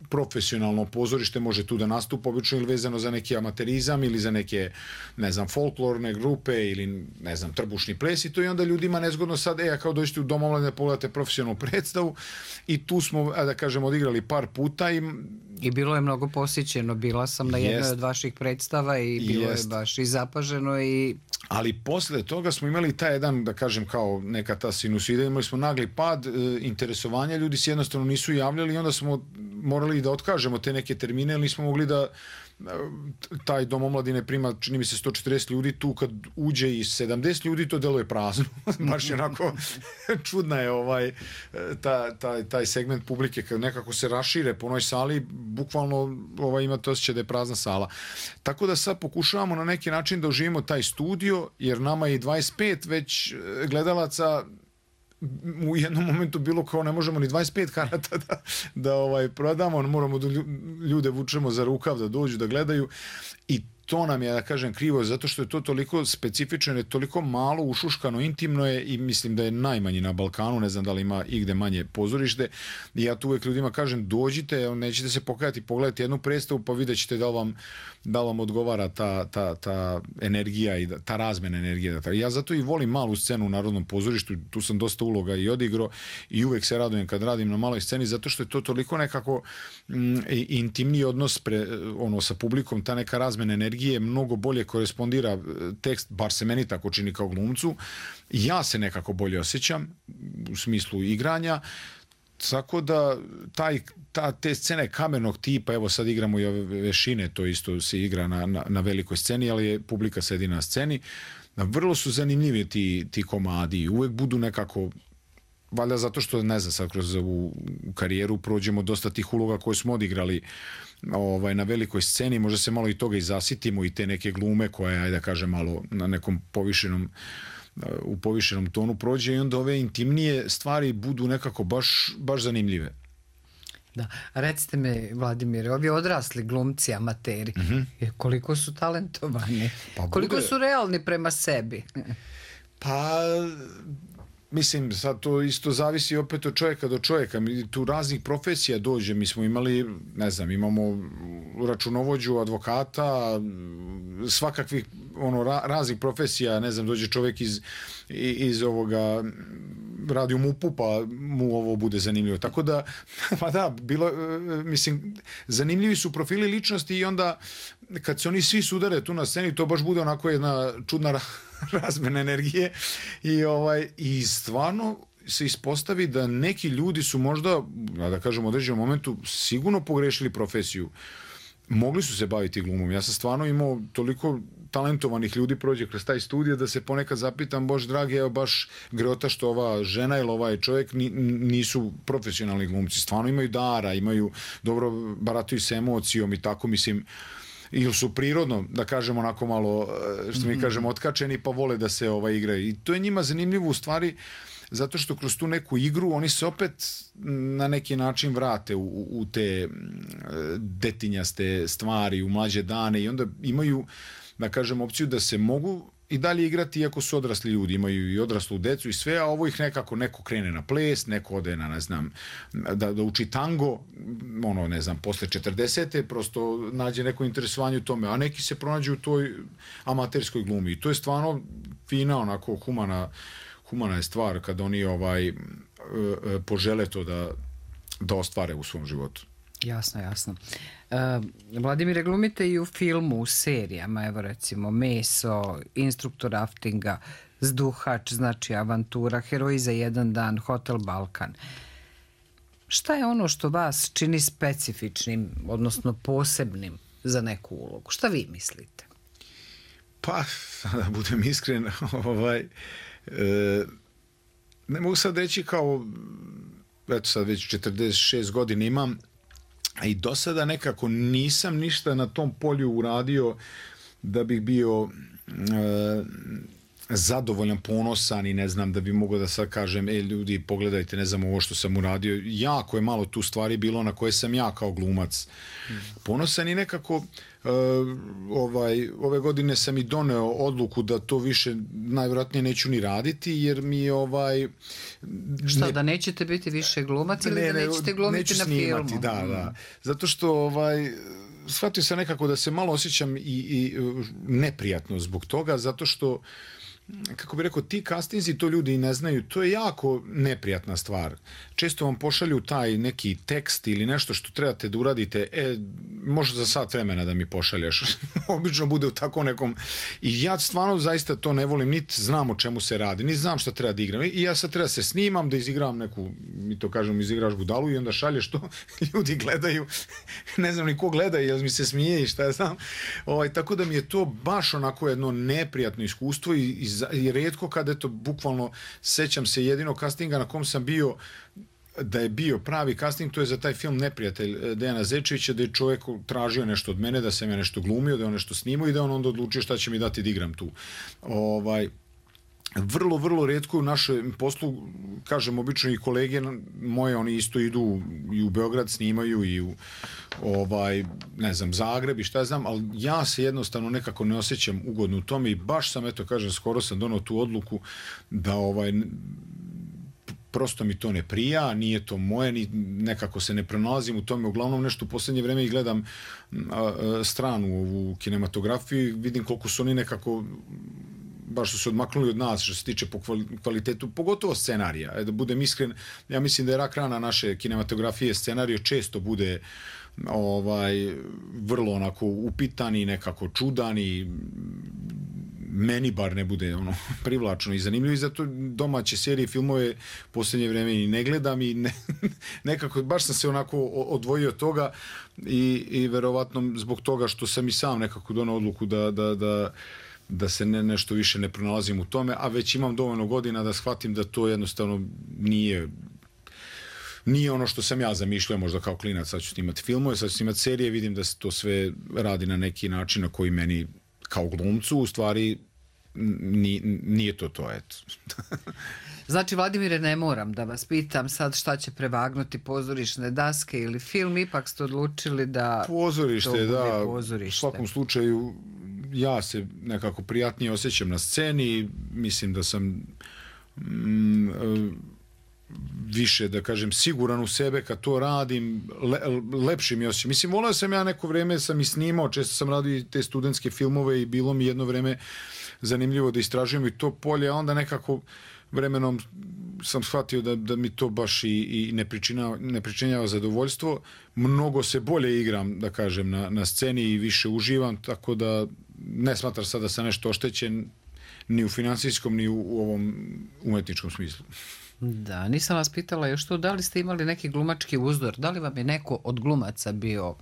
Speaker 1: profesionalno pozorište, može tu da nastupa obično ili vezano za neki amaterizam ili za neke, ne znam, folklorne grupe ili, ne znam, trbušni ples i to i onda ljudima nezgodno sad, e, a kao dođete u Dom omladine da pogledate profesionalnu predstavu i tu smo, da kažem, odigrali par puta i
Speaker 2: I bilo je mnogo posjećeno, bila sam na jednoj jest. Od vaših predstava i bilo jest. Je baš i zapaženo i...
Speaker 1: Ali posle toga smo imali taj jedan, da kažem, kao neka ta sinusida, imali smo nagli pad e, interesovanja, ljudi se jednostavno nisu javljali i onda smo morali da otkažemo te neke termine, ali nismo mogli da taj dom omladine prima, čini mi se, sto četrdeset ljudi, tu kad uđe i sedamdeset ljudi, to deluje prazno. Baš je onako čudna je ovaj, ta, taj, taj segment publike, kad nekako se rašire po onoj sali, bukvalno ovaj, imate osjećaj da je prazna sala. Tako da sad pokušavamo na neki način da oživimo taj studio, jer nama je dvadeset pet već gledalaca u jednom momentu bilo kao ne možemo ni dvadeset pet karata da, da ovaj, prodamo, moramo da ljude vučemo za rukav da dođu da gledaju i to nam je, da kažem, krivo, zato što je to toliko specifično, je toliko malo ušuškano, intimno je i mislim da je najmanji na Balkanu, ne znam da li ima igde manje pozorište i ja tu uvek ljudima kažem dođite, nećete se pokajati, pogledajte jednu predstavu pa vidjet ćete da vam, da vam odgovara ta, ta, ta energija i ta razmena energije. Ja zato i volim malu scenu u Narodnom pozorištu, tu sam dosta uloga i odigrao i uvek se radujem kad radim na maloj sceni zato što je to toliko nekako mm, intimni odnos pre, ono, sa publikom, ta neka razmena energije mnogo bolje korespondira tekst, bar se meni tako čini kao glumcu. Ja se nekako bolje osjećam u smislu igranja, tako da taj, ta, te scene kamenog tipa, evo sad igramo i ove vešine, to isto se igra na, na, na velikoj sceni, ali je publika sedi na sceni. Vrlo su zanimljivi ti, ti komadi, uvek budu nekako, valjda zato što, ne znam, sad kroz ovu karijeru prođemo dosta tih uloga koje smo odigrali ovaj, na velikoj sceni, možda se malo i toga i zasitimo i te neke glume koje, ajde da kažem, malo na nekom povišenom u povišenom tonu prođe i onda ove intimnije stvari budu nekako baš, baš zanimljive.
Speaker 2: Da, recite me, Vladimire, ovi odrasli glumci, amateri, mm-hmm. koliko su talentovani, pa bude... koliko su realni prema sebi?
Speaker 1: Pa... Mislim, sad to isto zavisi opet od čovjeka do čovjeka. Tu raznih profesija dođe. Mi smo imali, ne znam, imamo računovođu, advokata, svakakvih ono, ra, raznih profesija. Ne znam, dođe čovjek iz, iz ovoga, radi u MUP-u, pa mu ovo bude zanimljivo. Tako da, pa da, bilo, mislim, zanimljivi su profili ličnosti i onda kad se oni svi sudare tu na sceni, to baš bude onako jedna čudna razmena energije i, ovaj, i stvarno se ispostavi da neki ljudi su možda, da kažem, u određenom momentu sigurno pogrešili profesiju. Mogli su se baviti glumom. Ja sam stvarno imao toliko talentovanih ljudi prođe kroz taj studij da se ponekad zapitam, bož dragi, evo baš greota što ova žena ili ovaj čovjek nisu profesionalni glumci. Stvarno imaju dara, imaju dobro, barataju se emocijom i tako, mislim, ili su prirodno, da kažemo, onako malo, što mi kažemo, otkačeni, pa vole da se ovaj, igraju. I to je njima zanimljivo u stvari, zato što kroz tu neku igru oni se opet na neki način vrate u, u te detinjaste stvari, u mlađe dane i onda imaju, da kažem, opciju da se mogu i dalje igrati iako su odrasli ljudi, imaju i odraslu decu i sve, a ovo ih nekako, neko krene na ples, neko ode na, ne znam, da, da uči tango, ono, ne znam, posle četrdesete, prosto nađe neko interesovanje u tome, a neki se pronađu u toj amaterskoj glumi i to je stvarno fina, onako, humana, humana je stvar kad oni ovaj, požele to da, da ostvare u svom životu.
Speaker 2: Jasno, jasno. Uh, Vladimire, glumite i u filmu, u serijama, evo recimo Meso, Instruktor raftinga, Zduhač, znači Avantura, Heroji za jedan dan, Hotel Balkan. Šta je ono što vas čini specifičnim, odnosno posebnim za neku ulogu? Šta vi mislite?
Speaker 1: Pa, da budem iskren, ovaj, e, ne mogu sad reći kao, eto sad već četrdeset šest godina imam, i do sada nekako nisam ništa na tom polju uradio da bih bio e, zadovoljan, ponosan i ne znam da bi mogao da sad kažem, e ljudi pogledajte, ne znam ovo što sam uradio. Jako je malo tu stvari bilo na koje sam ja kao glumac ponosan i nekako e, ovaj, ove godine sam i doneo odluku da to više najvjerojatnije neću ni raditi jer mi ovaj...
Speaker 2: Šta, ne, da nećete biti više glumac ili ne, da nećete glumiti na
Speaker 1: snimati,
Speaker 2: filmu?
Speaker 1: Da, da. Zato što ovaj... shvatio sam nekako da se malo osjećam i, i neprijatno zbog toga, zato što kako bi rekao, ti castingsi, to ljudi i ne znaju, to je jako neprijatna stvar. Često vam pošalju taj neki tekst ili nešto što trebate da uradite, e, može za sat vremena da mi pošalješ. Obično bude u tako nekom... I ja stvarno zaista to ne volim, niti znam o čemu se radi, niti znam šta treba da igram. I ja sad treba se snimam, da izigram neku, mi to kažem, izigraš budalu i onda šalješ to, ljudi gledaju, ne znam ni ko gleda, jer mi se smije i šta ja znam. Ovaj, tako da mi je to baš onako jedno neprijatno iskustvo i, i, i rijetko kada, eto, bukvalno sećam se jedino castinga na kom sam bio, da je bio pravi casting, to je za taj film Neprijatelj Dejana Zečevića, da je čovjek tražio nešto od mene, da sam ja nešto glumio, da je on nešto snimao i da on onda odlučio šta će mi dati da igram tu. Ovaj, vrlo, vrlo rijetko u našem poslu, kažem, obično i kolege moje, oni isto idu i u Beograd snimaju i u ovaj, ne znam, Zagreb i šta ja znam, ali ja se jednostavno nekako ne osjećam ugodno u tome i baš sam, eto, kažem, skoro sam donao tu odluku da ovaj, prosto mi to ne prija, nije to moje, ni, nekako se ne pronalazim u tome, uglavnom nešto u posljednje vreme i gledam a, a, stranu u kinematografiji, vidim koliko su oni nekako baš su se odmaknuli od nas što se tiče po kvalitetu, pogotovo scenarija. E, da budem iskren, ja mislim da je rak rana naše kinematografije, scenario često bude ovaj vrlo onako upitan i nekako čudan i meni bar ne bude ono privlačno i zanimljivo i zato domaće serije i filmove posljednje vreme i ne gledam i ne, nekako baš sam se onako odvojio od toga i, i verovatno zbog toga što sam i sam nekako donao odluku da, da, da da se ne, nešto više ne pronalazim u tome, a već imam dovoljno godina da shvatim da to jednostavno nije nije ono što sam ja zamišljao možda kao klinac, sad ću snimati filmove, sad ću snimati serije, vidim da se to sve radi na neki način na koji meni kao glumcu u stvari nije, nije to to, eto.
Speaker 2: Znači, Vladimire, ne moram da vas pitam sad šta će prevagnuti, pozorišne daske ili film, ipak ste odlučili da
Speaker 1: pozorište,
Speaker 2: to bude
Speaker 1: da,
Speaker 2: pozorište.
Speaker 1: U svakom slučaju ja se nekako prijatnije osjećam na sceni, mislim da sam mm, više, da kažem, siguran u sebe kad to radim, le, lepši mi osjećam. Mislim, volio sam ja neko vreme, sam i snimao, često sam radio te studentske filmove i bilo mi jedno vreme zanimljivo da istražujem i to polje, a onda nekako vremenom sam shvatio da, da mi to baš i, i ne, pričinava, ne pričinjava zadovoljstvo. Mnogo se bolje igram, da kažem, na, na sceni i više uživam, tako da ne smatram sad da sam nešto oštećen ni u finansijskom, ni u, u ovom umetničkom smislu.
Speaker 2: Da, nisam vas pitala još to, da li ste imali neki glumački uzdor, da li vam je neko od glumaca bio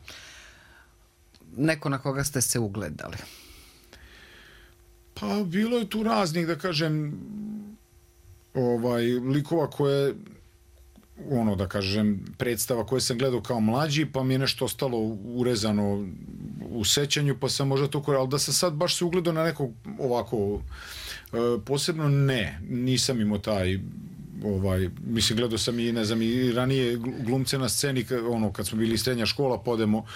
Speaker 2: neko na koga ste se ugledali?
Speaker 1: Pa bilo je tu raznih, da kažem, ovaj, likova koje, ono, da kažem, predstava koje sam gledao kao mlađi, pa mi je nešto ostalo urezano u sećanju, pa sam možda to korao, ali da sam sad baš se ugledao na nekog ovako, posebno ne, nisam imao taj, ovaj, mislim, gledao sam i, ne znam, i ranije glumce na sceni, ono, kad smo bili srednja škola, podemo,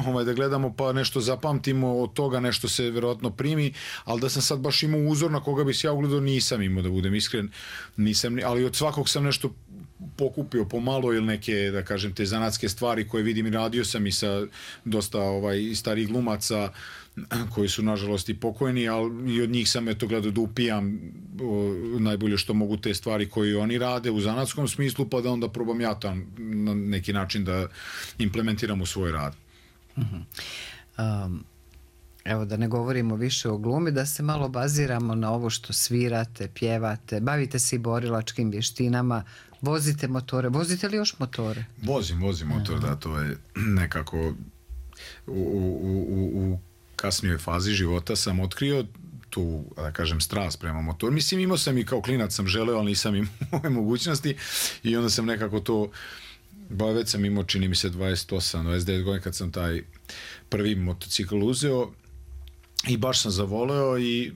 Speaker 1: ovaj, da gledamo, pa nešto zapamtimo, od toga nešto se verovatno primi, ali da sam sad baš imao uzor na koga bi se ja ugledao, nisam imao, da budem iskren, nisam, ali od svakog sam nešto pokupio pomalo ili neke, da kažem, te zanatske stvari koje vidim i radio sam i sa dosta ovaj, starih glumaca koji su nažalost i pokojni, ali i od njih sam eto gledao da upijam o, najbolje što mogu te stvari koje oni rade u zanatskom smislu, pa da onda probam ja tam na neki način da implementiram u svoj rad.
Speaker 2: Uh-huh. um, evo da ne govorimo više o glumi, da se malo baziramo na ovo što svirate, pjevate, bavite se i borilačkim vještinama, vozite motore. Vozite li još motore?
Speaker 1: Vozim, vozim motor, da, to je nekako u, u, u, u kasnijoj fazi života sam otkrio tu, da kažem, strast prema motoru. Mislim, imao sam i kao klinac sam želeo, ali nisam imao ove mogućnosti i onda sam nekako to, ba već sam imao, čini mi se, dvadeset osam dvadeset devet godina kad sam taj prvi motocikl uzeo i baš sam zavoleo i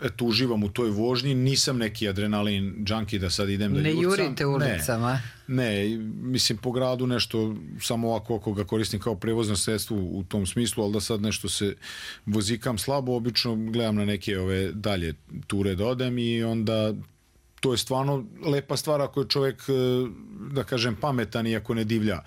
Speaker 1: eto, uživam u toj vožnji, nisam neki adrenalin junkie da sad idem da
Speaker 2: ne
Speaker 1: jurcam.
Speaker 2: Ne jurite ulicama?
Speaker 1: Ne, ne, mislim po gradu nešto, samo ovako ako ga koristim kao prevozno sredstvo u tom smislu, ali da sad nešto se vozikam slabo, obično gledam na neke ove dalje ture da odem i onda to je stvarno lepa stvar ako je čovjek, da kažem, pametan i ako ne divlja.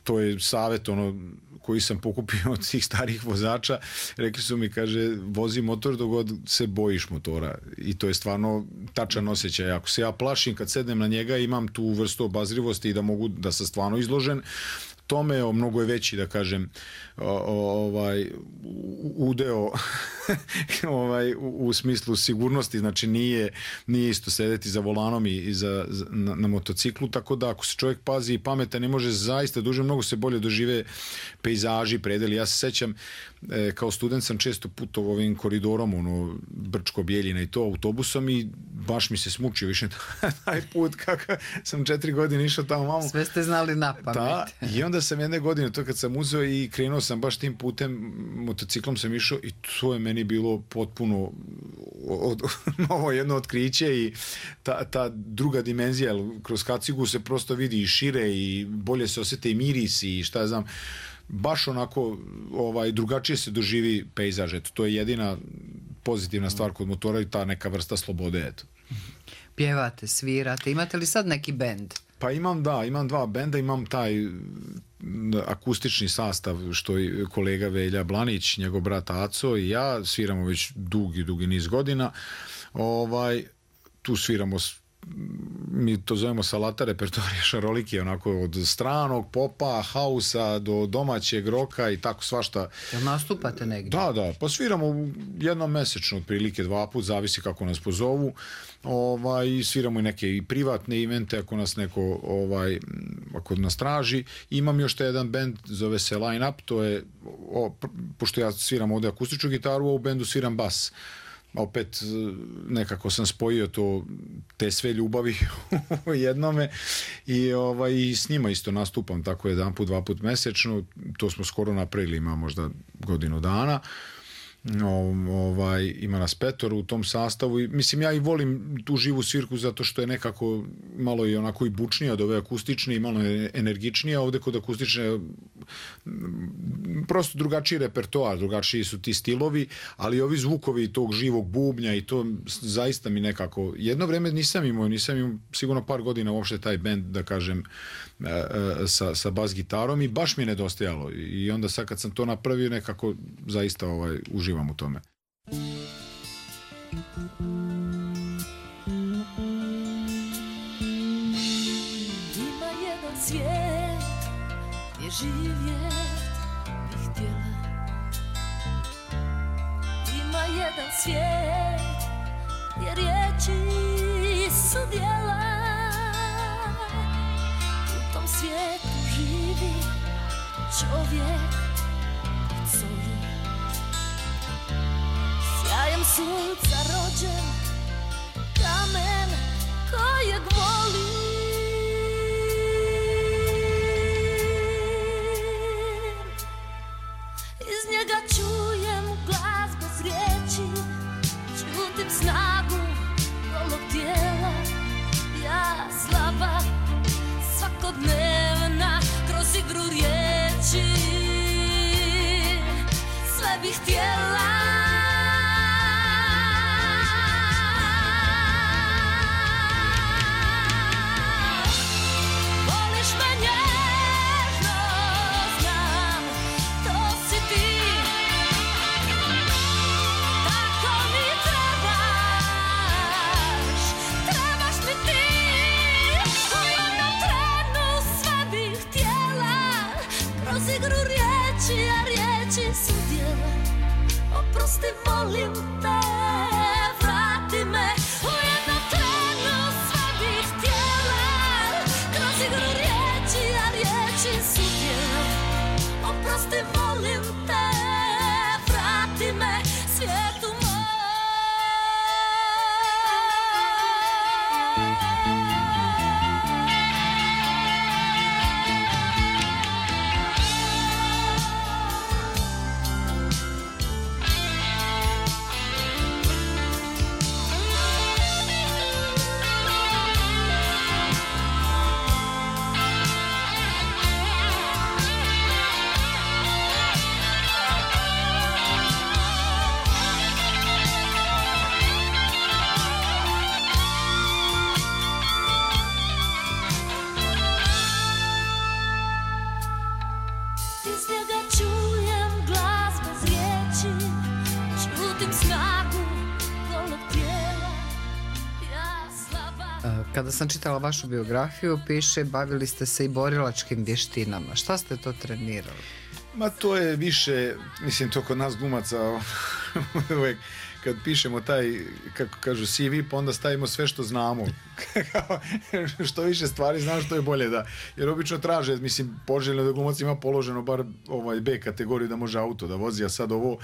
Speaker 1: to je savjet ono koji sam pokupio od svih starih vozača. Rekli su mi, kaže, vozi motor dok god se bojiš motora. I to je stvarno tačan osjećaj. Ako se ja plašim kad sednem na njega, imam tu vrstu obazrivosti i da mogu da sam stvarno izložen tome, o, mnogo je veći, da kažem, o, o, ovaj udeo ovaj, u, u smislu sigurnosti, znači nije, nije isto sedeti za volanom i, i za, za, na, na motociklu, tako da ako se čovjek pazi i pametan, ne može zaista duže, mnogo se bolje dožive pejzaži, predeli. Ja se sećam, e, kao student sam često putovao ovim koridorom, ono, Brčko-Bjeljina i to, autobusom, i baš mi se smučio više taj put, kako sam četiri godine išao tamo malo.
Speaker 2: Sve ste znali na pamet.
Speaker 1: Da, i onda sam jedne godine, to kad sam uzeo i krenuo sam baš tim putem, motociklom sam išao i to je meni bilo potpuno od, novo jedno otkriće i ta, ta druga dimenzija, kroz kacigu se prosto vidi i šire i bolje se osjete i mirisi i šta ja znam, baš onako ovaj, drugačije se doživi pejzaž. Eto, to je jedina pozitivna stvar kod motora i ta neka vrsta slobode. Eto.
Speaker 2: Pjevate, svirate, imate li sad neki bend?
Speaker 1: Pa imam, da, imam dva benda, imam taj akustični sastav što je kolega Velja Blanić, njegov brat Aco i ja sviramo već dugi, dugi niz godina. Ovaj, tu sviramo, mi to zovemo salata repertoarija šaroliki, onako od stranog popa, hausa do domaćeg roka i tako svašta.
Speaker 2: Jel nastupate negdje?
Speaker 1: Da, da, pa sviramo jednom mesečno, otprilike dva put, zavisi kako nas pozovu. Ovaj, sviramo i neke i privatne evente ako nas neko ovaj, ako nas traži. Imam još taj jedan band, zove se Line Up, to je, o, pošto ja sviram ovdje akustičnu gitaru, a u bendu sviram bas. Opet nekako sam spojio to, te sve ljubavi u jednome i, ovaj, i s njima isto nastupam tako jedan put, dva put mesečno. To smo skoro napravili, ima možda godinu dana. Ovaj, ima nas petoro u tom sastavu i mislim ja i volim tu živu svirku zato što je nekako malo i onako i bučnija od ove akustične i malo je energičnija. Ovdje kod akustične prosto drugačiji repertoar, drugačiji su ti stilovi, ali ovi zvukovi tog živog bubnja i to zaista mi nekako, jedno vreme nisam imao, nisam imao sigurno par godina uopšte taj band, da kažem, sa, sa bas gitarom i baš mi je nedostajalo i onda sad kad sam to napravio nekako zaista ovaj, uživam u tome.
Speaker 4: Ima jedan svijet gdje živjet bih htjela. Ima jedan svijet gdje riječi su djela. U tom svijetu živi čovjek od soli, sjajem sunca rođen, kamen kojeg volim. Iz njega čujem glas bez riječi, čutim snagu golog tijela. Ja slaba, svakodnevna, kroz igru riječi sve bih htjela. Voliš me nježno, znam, to si ti. Tako mi trebaš, trebaš mi ti. U jednom trenu sve bih htjela, kroz igru riječi, a riječi su djela. Oprosti, molim te, vrati me. U jednom trenu sve bih htjela, kroz igru riječi, a riječi su djela. Oprosti, molim te, vrati me svijetu moj.
Speaker 2: Kada sam čitala vašu biografiju, piše bavili ste se i borilačkim vještinama. Šta ste to trenirali?
Speaker 1: Ma to je više, mislim to kod nas glumaca uvek kad pišemo taj, kako kažu, C V, pa onda stavimo sve što znamo. Što više stvari znam, što je bolje da. Jer obično traže, mislim, poželjno da glumac ima položeno bar ovaj B kategoriju da može auto da vozi, a sad ovo,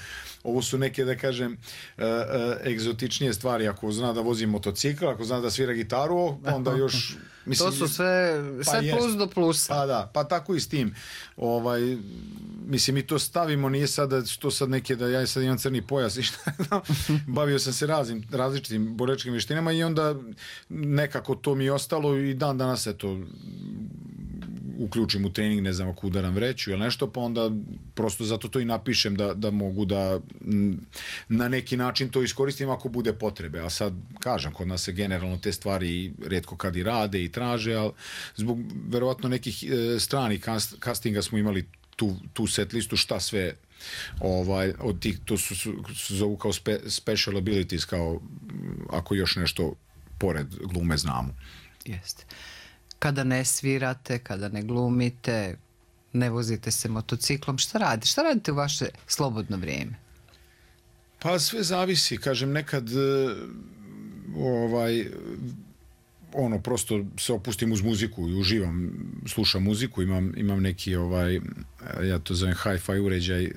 Speaker 1: ovo su neke, da kažem, uh, uh, egzotičnije stvari. Ako zna da vozi motocikl, ako zna da svira gitaru, pa onda još... Mislim,
Speaker 2: to su sve,
Speaker 1: pa
Speaker 2: sve plus do plusa.
Speaker 1: Pa da, pa tako i s tim. Ovaj, mislim, mi to stavimo, nije sada to sad neke da ja sad imam crni pojas i šta, bavio sam se raznim, različitim borilačkim vještinama i onda nekako to mi je ostalo i dan danas eto uključim u trening, ne znam ako udaram vreću ili nešto, pa onda prosto zato to i napišem da, da mogu da na neki način to iskoristim ako bude potrebe, a sad kažem, kod nas se generalno te stvari rijetko kad i rade i traže, ali zbog verovatno nekih e, stranih castinga smo imali tu, tu set listu šta sve ovaj, od tih, to su, su, su zovu kao spe, special abilities, kao ako još nešto pored glume znamo.
Speaker 2: Jeste. Kada ne svirate, kada ne glumite, ne vozite se motociklom, šta radite? Šta radite u vaše slobodno vrijeme?
Speaker 1: Pa sve zavisi, kažem, nekad ovaj ono, prosto se opustim uz muziku i uživam, slušam muziku, imam, imam neki ovaj, ja to zovem hi-fi uređaj uh,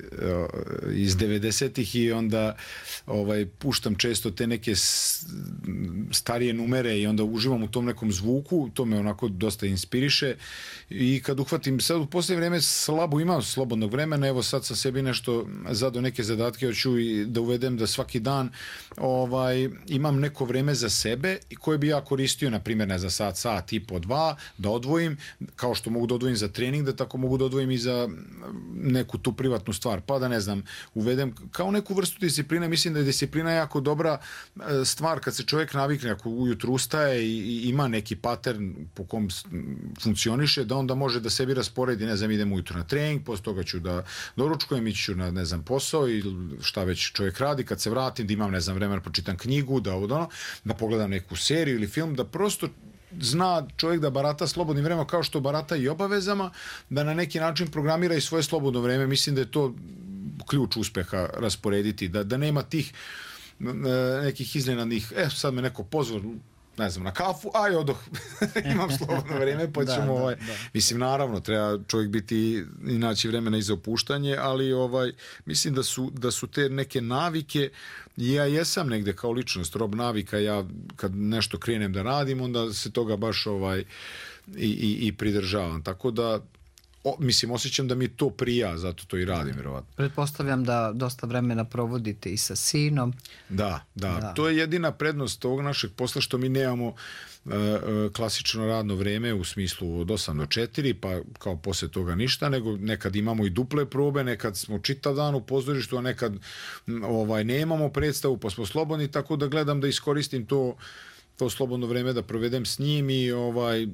Speaker 1: iz devedesetih i onda ovaj, puštam često te neke starije numere i onda uživam u tom nekom zvuku, to me onako dosta inspiriše i kad uhvatim, sad u posljednje vrijeme slabo imam slobodnog vremena, evo sad sa sebi nešto zadao neke zadatke, hoću i da uvedem da svaki dan ovaj, imam neko vreme za sebe i koje bi ja koristio na primjer, ne za sat, sat i po dva, da odvojim, kao što mogu da odvojim za trening, da tako mogu da odvojim i za neku tu privatnu stvar, pa da ne znam, uvedem kao neku vrstu discipline. Mislim da je disciplina jako dobra stvar kad se čovjek navikne, ako ujutru ustaje i ima neki pattern po kom funkcioniše, da onda može da sebi rasporedi, ne znam, idem ujutru na trening, posle toga ću da doručkujem, ići ću na, ne znam, posao i šta već čovjek radi, kad se vratim, da imam, ne znam, vremena, pročitam knjigu, da, ono, da pogledam neku seriju ili film, da prosto zna čovjek da barata slobodnim vremenom kao što barata i obavezama, da na neki način programira i svoje slobodno vreme. Mislim da je to ključ uspeha rasporediti, da, da nema tih nekih iznenadnih, e, sad me neko pozvao, ne znam, na kafu, aj odoh, imam slobodno vreme, pa ćemo, da, ovaj, da, da. Mislim, naravno, treba čovjek biti i naći vremena i za opuštanje, ali ovaj, mislim da su, da su te neke navike, ja jesam negde kao ličnost, rob navika, ja kad nešto krenem da radim, onda se toga baš ovaj, i, i, i pridržavam, tako da O, mislim, osjećam da mi to prija, zato to i radim, vjerovatno.
Speaker 2: Pretpostavljam da dosta vremena provodite i sa sinom.
Speaker 1: Da, da, da. To je jedina prednost ovog našeg posla, što mi nemamo uh, klasično radno vreme u smislu od osam do četiri, pa kao poslije toga ništa, nego nekad imamo i duple probe, nekad smo čitav dan u pozorištu, a nekad ovaj, nemamo predstavu, pa smo slobodni, tako da gledam da iskoristim to to slobodno vreme da provedem s njim i ovaj,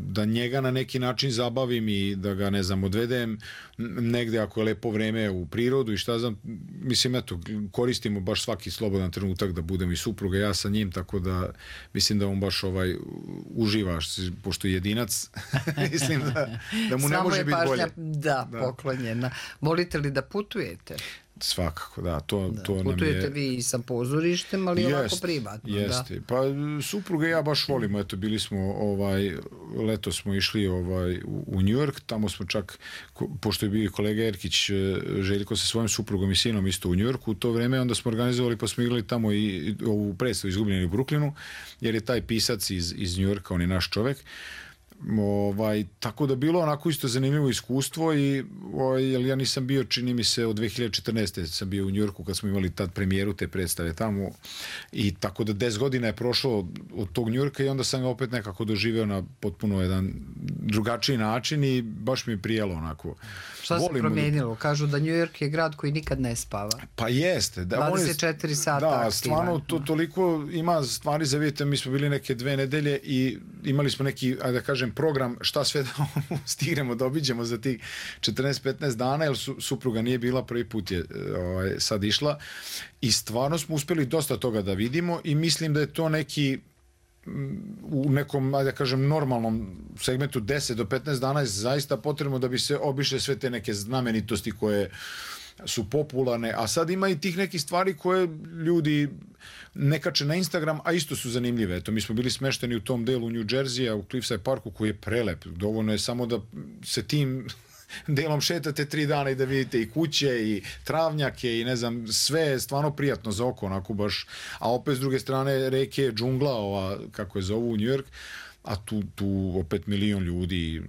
Speaker 1: da njega na neki način zabavim i da ga, ne znam, odvedem negde ako je lepo vreme u prirodu i šta znam, mislim, eto, koristimo baš svaki slobodan trenutak da budem i supruga, ja sa njim, tako da mislim da on baš ovaj, uživa, pošto je jedinac, mislim da, da mu ne može biti bolje.
Speaker 2: Da, da, poklonjena. Volite li da putujete?
Speaker 1: Svakako, da. To,
Speaker 2: da
Speaker 1: to
Speaker 2: putujete
Speaker 1: nam je...
Speaker 2: vi i sa pozorištem, ali jest, ovako privatno.
Speaker 1: Jeste.
Speaker 2: Da.
Speaker 1: Pa supruga i ja baš volimo. Eto, bili smo, ovaj, leto smo išli ovaj, u, u New York, tamo smo čak, pošto je bio kolega Erkić Željko sa svojim suprugom i sinom isto u New Yorku, u to vreme onda smo organizovali, pa smo igrali tamo i, i ovu predstavu Izgubljeni u Brooklynu, jer je taj pisac iz, iz New Yorka, on je naš čovek. Ovaj, tako da bilo onako isto zanimljivo iskustvo i ovaj, jer ja nisam bio, čini mi se, od dve hiljade četrnaeste sam bio u Njujorku kad smo imali tad premijeru te predstave tamo i tako da deset godina je prošlo od tog Njujorka i onda sam ga opet nekako doživeo na potpuno jedan drugačiji način i baš mi je prijelo onako.
Speaker 2: Šta se promijenilo? Kažu da Njujork je grad koji nikad ne spava.
Speaker 1: Pa jeste. Da,
Speaker 2: dvadeset četiri sata
Speaker 1: da,
Speaker 2: aktivan.
Speaker 1: Stvarno to toliko ima stvari za vidjeti. Mi smo bili neke dve nedelje i imali smo neki, ajde da kažem, program šta sve da stignemo da obiđemo za tih četrnaest petnaest dana, jer su, supruga nije bila, prvi put je ovaj, sad išla i stvarno smo uspjeli dosta toga da vidimo i mislim da je to neki u nekom, ajde da kažem, normalnom segmentu deset do petnaest dana je zaista potrebno da bi se obišle sve te neke znamenitosti koje su popularne, a sad ima i tih nekih stvari koje ljudi ne kače na Instagram, a isto su zanimljive. Eto, mi smo bili smešteni u tom delu New Jersey-a, u Cliffside Parku, koji je prelep. Dovoljno je samo da se tim delom šetate tri dana i da vidite i kuće i travnjake i ne znam, sve je stvarno prijatno za oko, onako baš, a opet s druge strane reke, džungla, ova, kako je zovu u New York, a tu, tu opet milion ljudi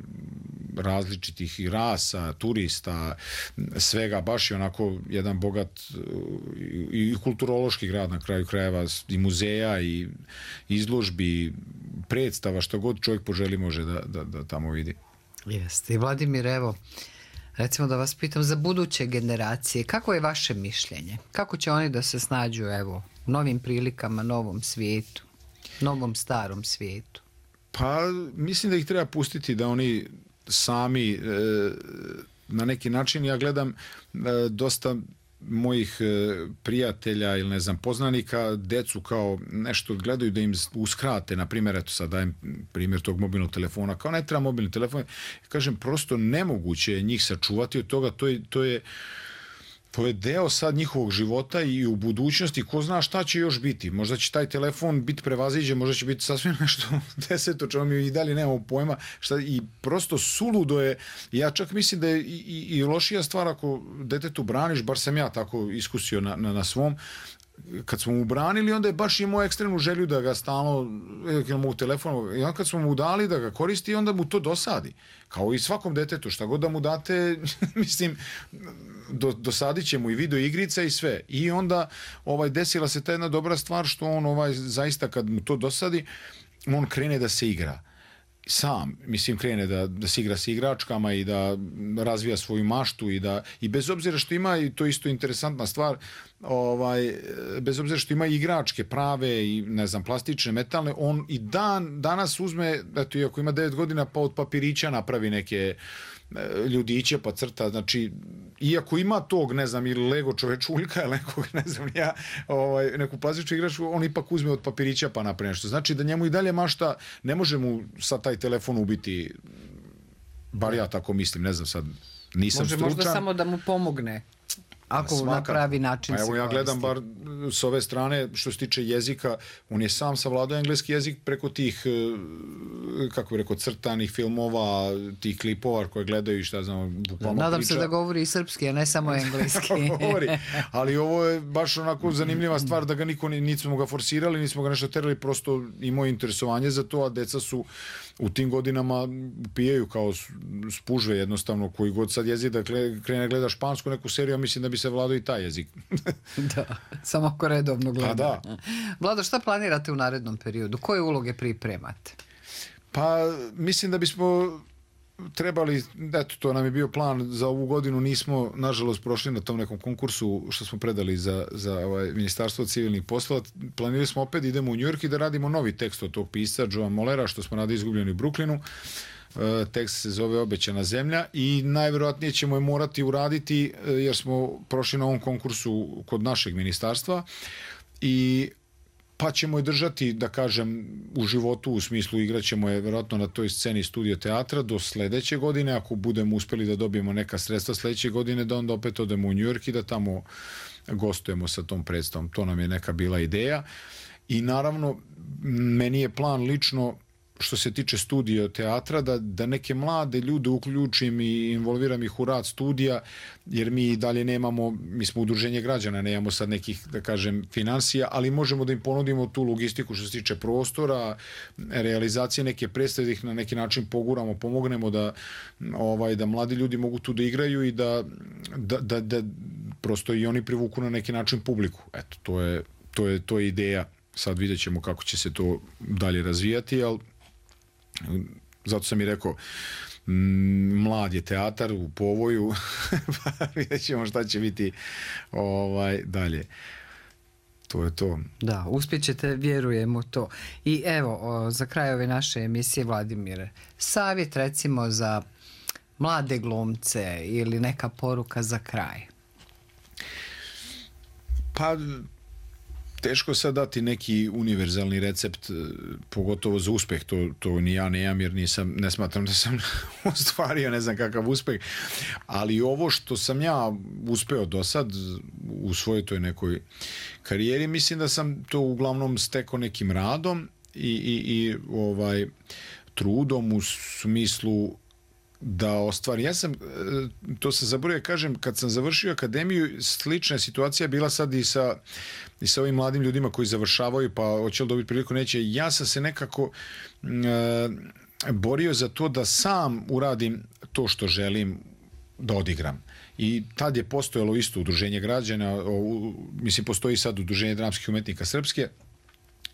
Speaker 1: različitih i rasa, turista, svega, baš je onako jedan bogat i kulturološki grad na kraju krajeva, i muzeja i izložbi, predstava, što god čovjek poželi može da, da, da tamo vidi.
Speaker 2: Jeste. I Vladimir, evo, recimo da vas pitam za buduće generacije, kako je vaše mišljenje? Kako će oni da se snađu, evo, novim prilikama, novom svijetu, novom starom svijetu?
Speaker 1: Pa, mislim da ih treba pustiti da oni sami e, na neki način, ja gledam e, dosta mojih e, prijatelja ili ne znam poznanika, decu kao nešto gledaju da im uskrate, na primjer, eto sad dajem primjer tog mobilnog telefona, kao ne treba mobilni telefon, kažem, prosto nemoguće je njih sačuvati od toga, to je, to je to je deo sad njihovog života i u budućnosti, ko zna šta će još biti. Možda će taj telefon biti prevaziđen, možda će biti sasvim nešto deseto, čemu mi i dalje nemamo pojma. Šta, i prosto suludo je, ja čak mislim da je i, i, i lošija stvar ako detetu braniš, bar sam ja tako iskusio na, na, na svom, kad smo mu branili, onda je baš imao ekstremnu želju da ga stalno, u telefonu, i onda kad smo mu dali da ga koristi, onda mu to dosadi. Kao i svakom detetu, šta god da mu date, mislim, do, dosadit će mu i video igrica i sve. I onda ovaj, desila se ta jedna dobra stvar što on ovaj, zaista kad mu to dosadi, on krene da se igra. Sam, mislim, krene da, da se igra s igračkama i da razvija svoju maštu i da, i bez obzira što ima, i to isto interesantna stvar, ovaj, bez obzira što ima igračke prave i ne znam, plastične, metalne, on i dan, danas uzme, eto, iako ima devet godina, pa od papirića napravi neke ljudiće pa crta, znači iako ima tog, ne znam, ili Lego čovečuljka ili nekog, ne znam ja, ovaj, neku plastičnu igračku, on ipak uzme od papirića pa napravi nešto. Znači da njemu i dalje mašta, ne može mu sad taj telefon ubiti, bar ja tako mislim, ne znam sad, nisam
Speaker 2: može
Speaker 1: stručan.
Speaker 2: Možda samo da mu pomogne. Ako
Speaker 1: Svaka,
Speaker 2: na pravi način
Speaker 1: pa evo
Speaker 2: se
Speaker 1: ja
Speaker 2: koristi.
Speaker 1: gledam bar s ove strane što se tiče jezika, on je sam savladao engleski jezik preko tih, kako bi rekao, crtanih filmova, tih klipova koje gledaju i šta znam, bukvalno
Speaker 2: Nadam
Speaker 1: priča.
Speaker 2: se da govori i srpski, a ne samo engleski.
Speaker 1: Govori, ali ovo je baš onako zanimljiva stvar da ga niko, nismo ga forsirali, nismo ga nešto terali, prosto imao interesovanje za to, a deca su u tim godinama pijaju kao spužve jednostavno, koji god sad jezik da krene gleda špansku neku seriju, mislim da bi se vladao i taj jezik.
Speaker 2: Da, samo ako redovno gleda.
Speaker 1: Pa da.
Speaker 2: Vlado, šta planirate u narednom periodu? Koje uloge pripremate?
Speaker 1: Pa mislim da bismo trebali, eto, to nam je bio plan za ovu godinu, nismo nažalost prošli na tom nekom konkursu što smo predali za, za ovaj, Ministarstvo civilnih poslova. Planirali smo opet, idemo u New York i da radimo novi tekst od tog pisca Joa Mollera, što smo radili Izgubljeni u Brooklynu. E, tekst se zove Obećana zemlja i najverovatnije ćemo je morati uraditi jer smo prošli na ovom konkursu kod našeg ministarstva i pa ćemo je držati, da kažem, u životu, u smislu igraćemo je vjerojatno na toj sceni Studio teatra do sledeće godine, ako budemo uspeli da dobijemo neka sredstva sledeće godine, da onda opet odemo u New York i da tamo gostujemo sa tom predstavom. To nam je neka bila ideja. I naravno, meni je plan lično, što se tiče Studio teatra, da, da neke mlade ljude uključim i involviram ih u rad studija, jer mi dalje nemamo, mi smo udruženje građana, nemamo sad nekih, da kažem, finansija, ali možemo da im ponudimo tu logistiku što se tiče prostora, realizacije neke predstave, da ih na neki način poguramo, pomognemo da, ovaj, da mladi ljudi mogu tu da igraju i da, da, da, da prosto i oni privuku na neki način publiku. Eto, to je, to je, to je ideja. Sad vidjet ćemo kako će se to dalje razvijati, ali zato sam i rekao, mlad je teatar u povoju, pa vidjet ćemo šta će biti ovaj, dalje. To je to.
Speaker 2: Da, uspjećete, vjerujem u to. I evo, o, za kraj ove naše emisije, Vladimire, savjet recimo za mlade glumce ili neka poruka za kraj?
Speaker 1: Pa teško sad dati neki univerzalni recept, e, pogotovo za uspeh, to, to ni ja ne imam jer nisam, ne smatram da sam ostvario ne znam kakav uspeh, ali ovo što sam ja uspeo do sad u svojoj toj nekoj karijeri, mislim da sam to uglavnom stekao nekim radom i, i, i ovaj trudom u smislu da ostvari. Ja sam, to sam zaboravio kažem, kad sam završio akademiju, slična situacija bila sad i sa, i sa ovim mladim ljudima koji završavaju, pa hoće li dobiti priliku, neće. Ja sam se nekako e, borio za to da sam uradim to što želim da odigram. I tad je postojalo isto udruženje građana, o, mislim postoji sad udruženje dramskih umetnika Srpske,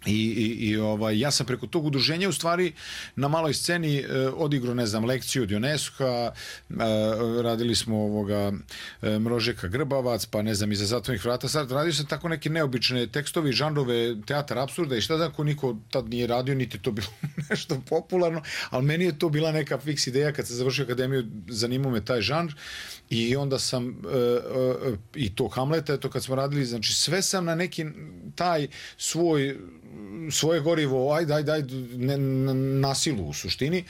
Speaker 1: I, i, i ovaj, ja sam preko tog udruženja u stvari na maloj sceni e, odigrao, ne znam, lekciju od Joneska, e, radili smo ovoga e, Mrožeka Grbavac, pa ne znam, iza zatvornih vrata. Sad radio sam tako neke neobične tekstovi, žanrove, teatar apsurda i šta znam, ko niko tad nije radio, niti to bilo nešto popularno, ali meni je to bila neka fiks ideja kad sam završio akademiju, zanimao me taj žanr i onda sam e, e, i to Hamleta, eto kad smo radili, znači sve sam na neki taj svoj svoje gorivo, ajde, ajde, ajde, ne, na silu u suštini,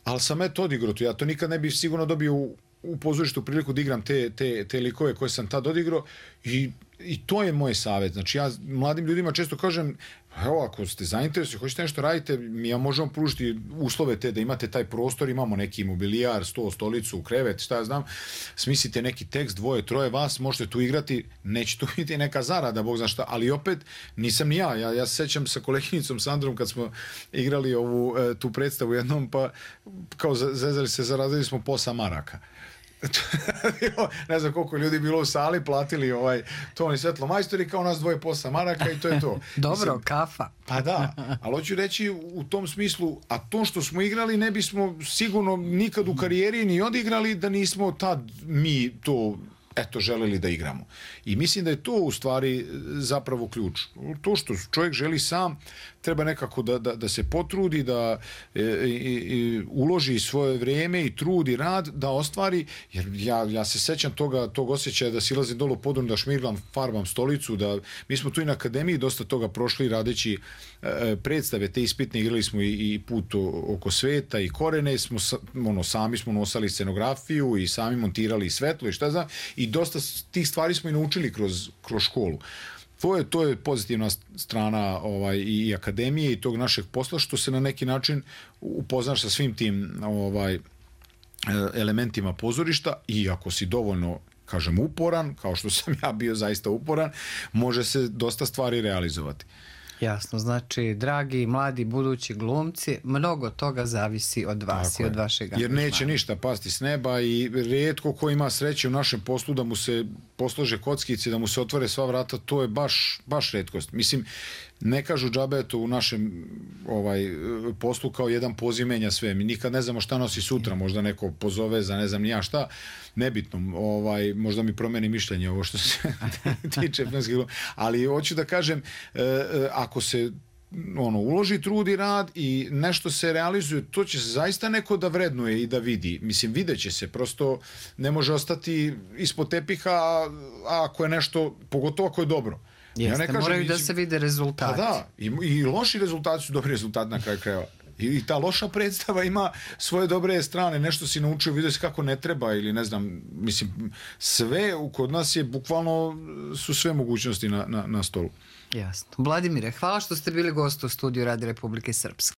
Speaker 1: ali sam eto odigrao to. Ja to nikad ne bih sigurno dobio u, u pozorištu priliku da igram te, te, te likove koje sam tad odigrao i, i to je moj savjet. Znači ja mladim ljudima često kažem, evo, ako ste zainteresovani, hoćete nešto radite, mi ja možemo pružiti uslove te da imate taj prostor, imamo neki mobilijar, sto, stolicu, krevet, šta ja znam, smislite neki tekst, dvoje, troje vas, možete tu igrati, neće tu biti neka zarada, Bog zna šta, ali opet nisam ni ja, ja, ja se sećam sa koleginicom Sandrom kad smo igrali ovu, tu predstavu jednom, pa kao zezali se, zarazili smo posa maraka. Ne znam koliko ljudi bilo u sali, platili ovaj ton i svetlo majstori, kao nas dvoje posa maraka i to je to.
Speaker 2: Dobro,
Speaker 1: mislim,
Speaker 2: kafa.
Speaker 1: Pa da, ali hoću reći u tom smislu, a to što smo igrali ne bismo sigurno nikad u karijeri ni odigrali da nismo tad mi to eto želeli da igramo. I mislim da je to u stvari zapravo ključ. To što čovjek želi sam, treba nekako da, da, da se potrudi, da e, e, uloži svoje vrijeme i trud i rad da ostvari, jer ja, ja se sećam toga, tog osjećaja da silazim dolu podun, da šmirglam, farbam stolicu, da mi smo tu i na akademiji dosta toga prošli radeći e, predstave, te ispitne, igrali smo i, i put oko sveta i Korene, smo, ono, sami smo nosali scenografiju i sami montirali svetlo i šta znam, i dosta tih stvari smo i naučili kroz, kroz školu. To je, to je pozitivna strana ovaj, i akademije i tog našeg posla, što se na neki način upoznaš sa svim tim ovaj, elementima pozorišta i ako si dovoljno, kažem, uporan, kao što sam ja bio zaista uporan, može se dosta stvari realizovati.
Speaker 2: Jasno, znači, dragi, mladi, budući glumci, mnogo toga zavisi od vas tako i od vašeg angažmana.
Speaker 1: Jer neće ništa pasti s neba i rijetko ko ima sreće u našem poslu da mu se poslože kockice, da mu se otvore sva vrata, to je baš, baš retkost. Mislim, ne kažu džabe to u našem ovaj, poslu kao jedan poziv menja sve. Mi nikad ne znamo šta nosi sutra, možda neko pozove za ne znam ni ja šta, nebitno, ovaj, možda mi promeni mišljenje ovo što se tiče filmskih glumca, ali hoću da kažem, ako se ono, uloži trud i rad i nešto se realizuje, to će se zaista neko da vrednuje i da vidi. Mislim, vidjet će se, prosto ne može ostati ispod tepiha, a ako je nešto, pogotovo ako je dobro.
Speaker 2: Jeste, ja ne kažem, moraju da se vide rezultati.
Speaker 1: Pa da, i, i loši rezultati su dobri rezultati na kraju krajeva. I, I ta loša predstava ima svoje dobre strane, nešto si naučio, vidio si kako ne treba ili ne znam, mislim, sve kod nas je, bukvalno su sve mogućnosti na, na, na stolu.
Speaker 2: Jasno. Vladimire, hvala što ste bili gost u studiju Radio Republike Srpske.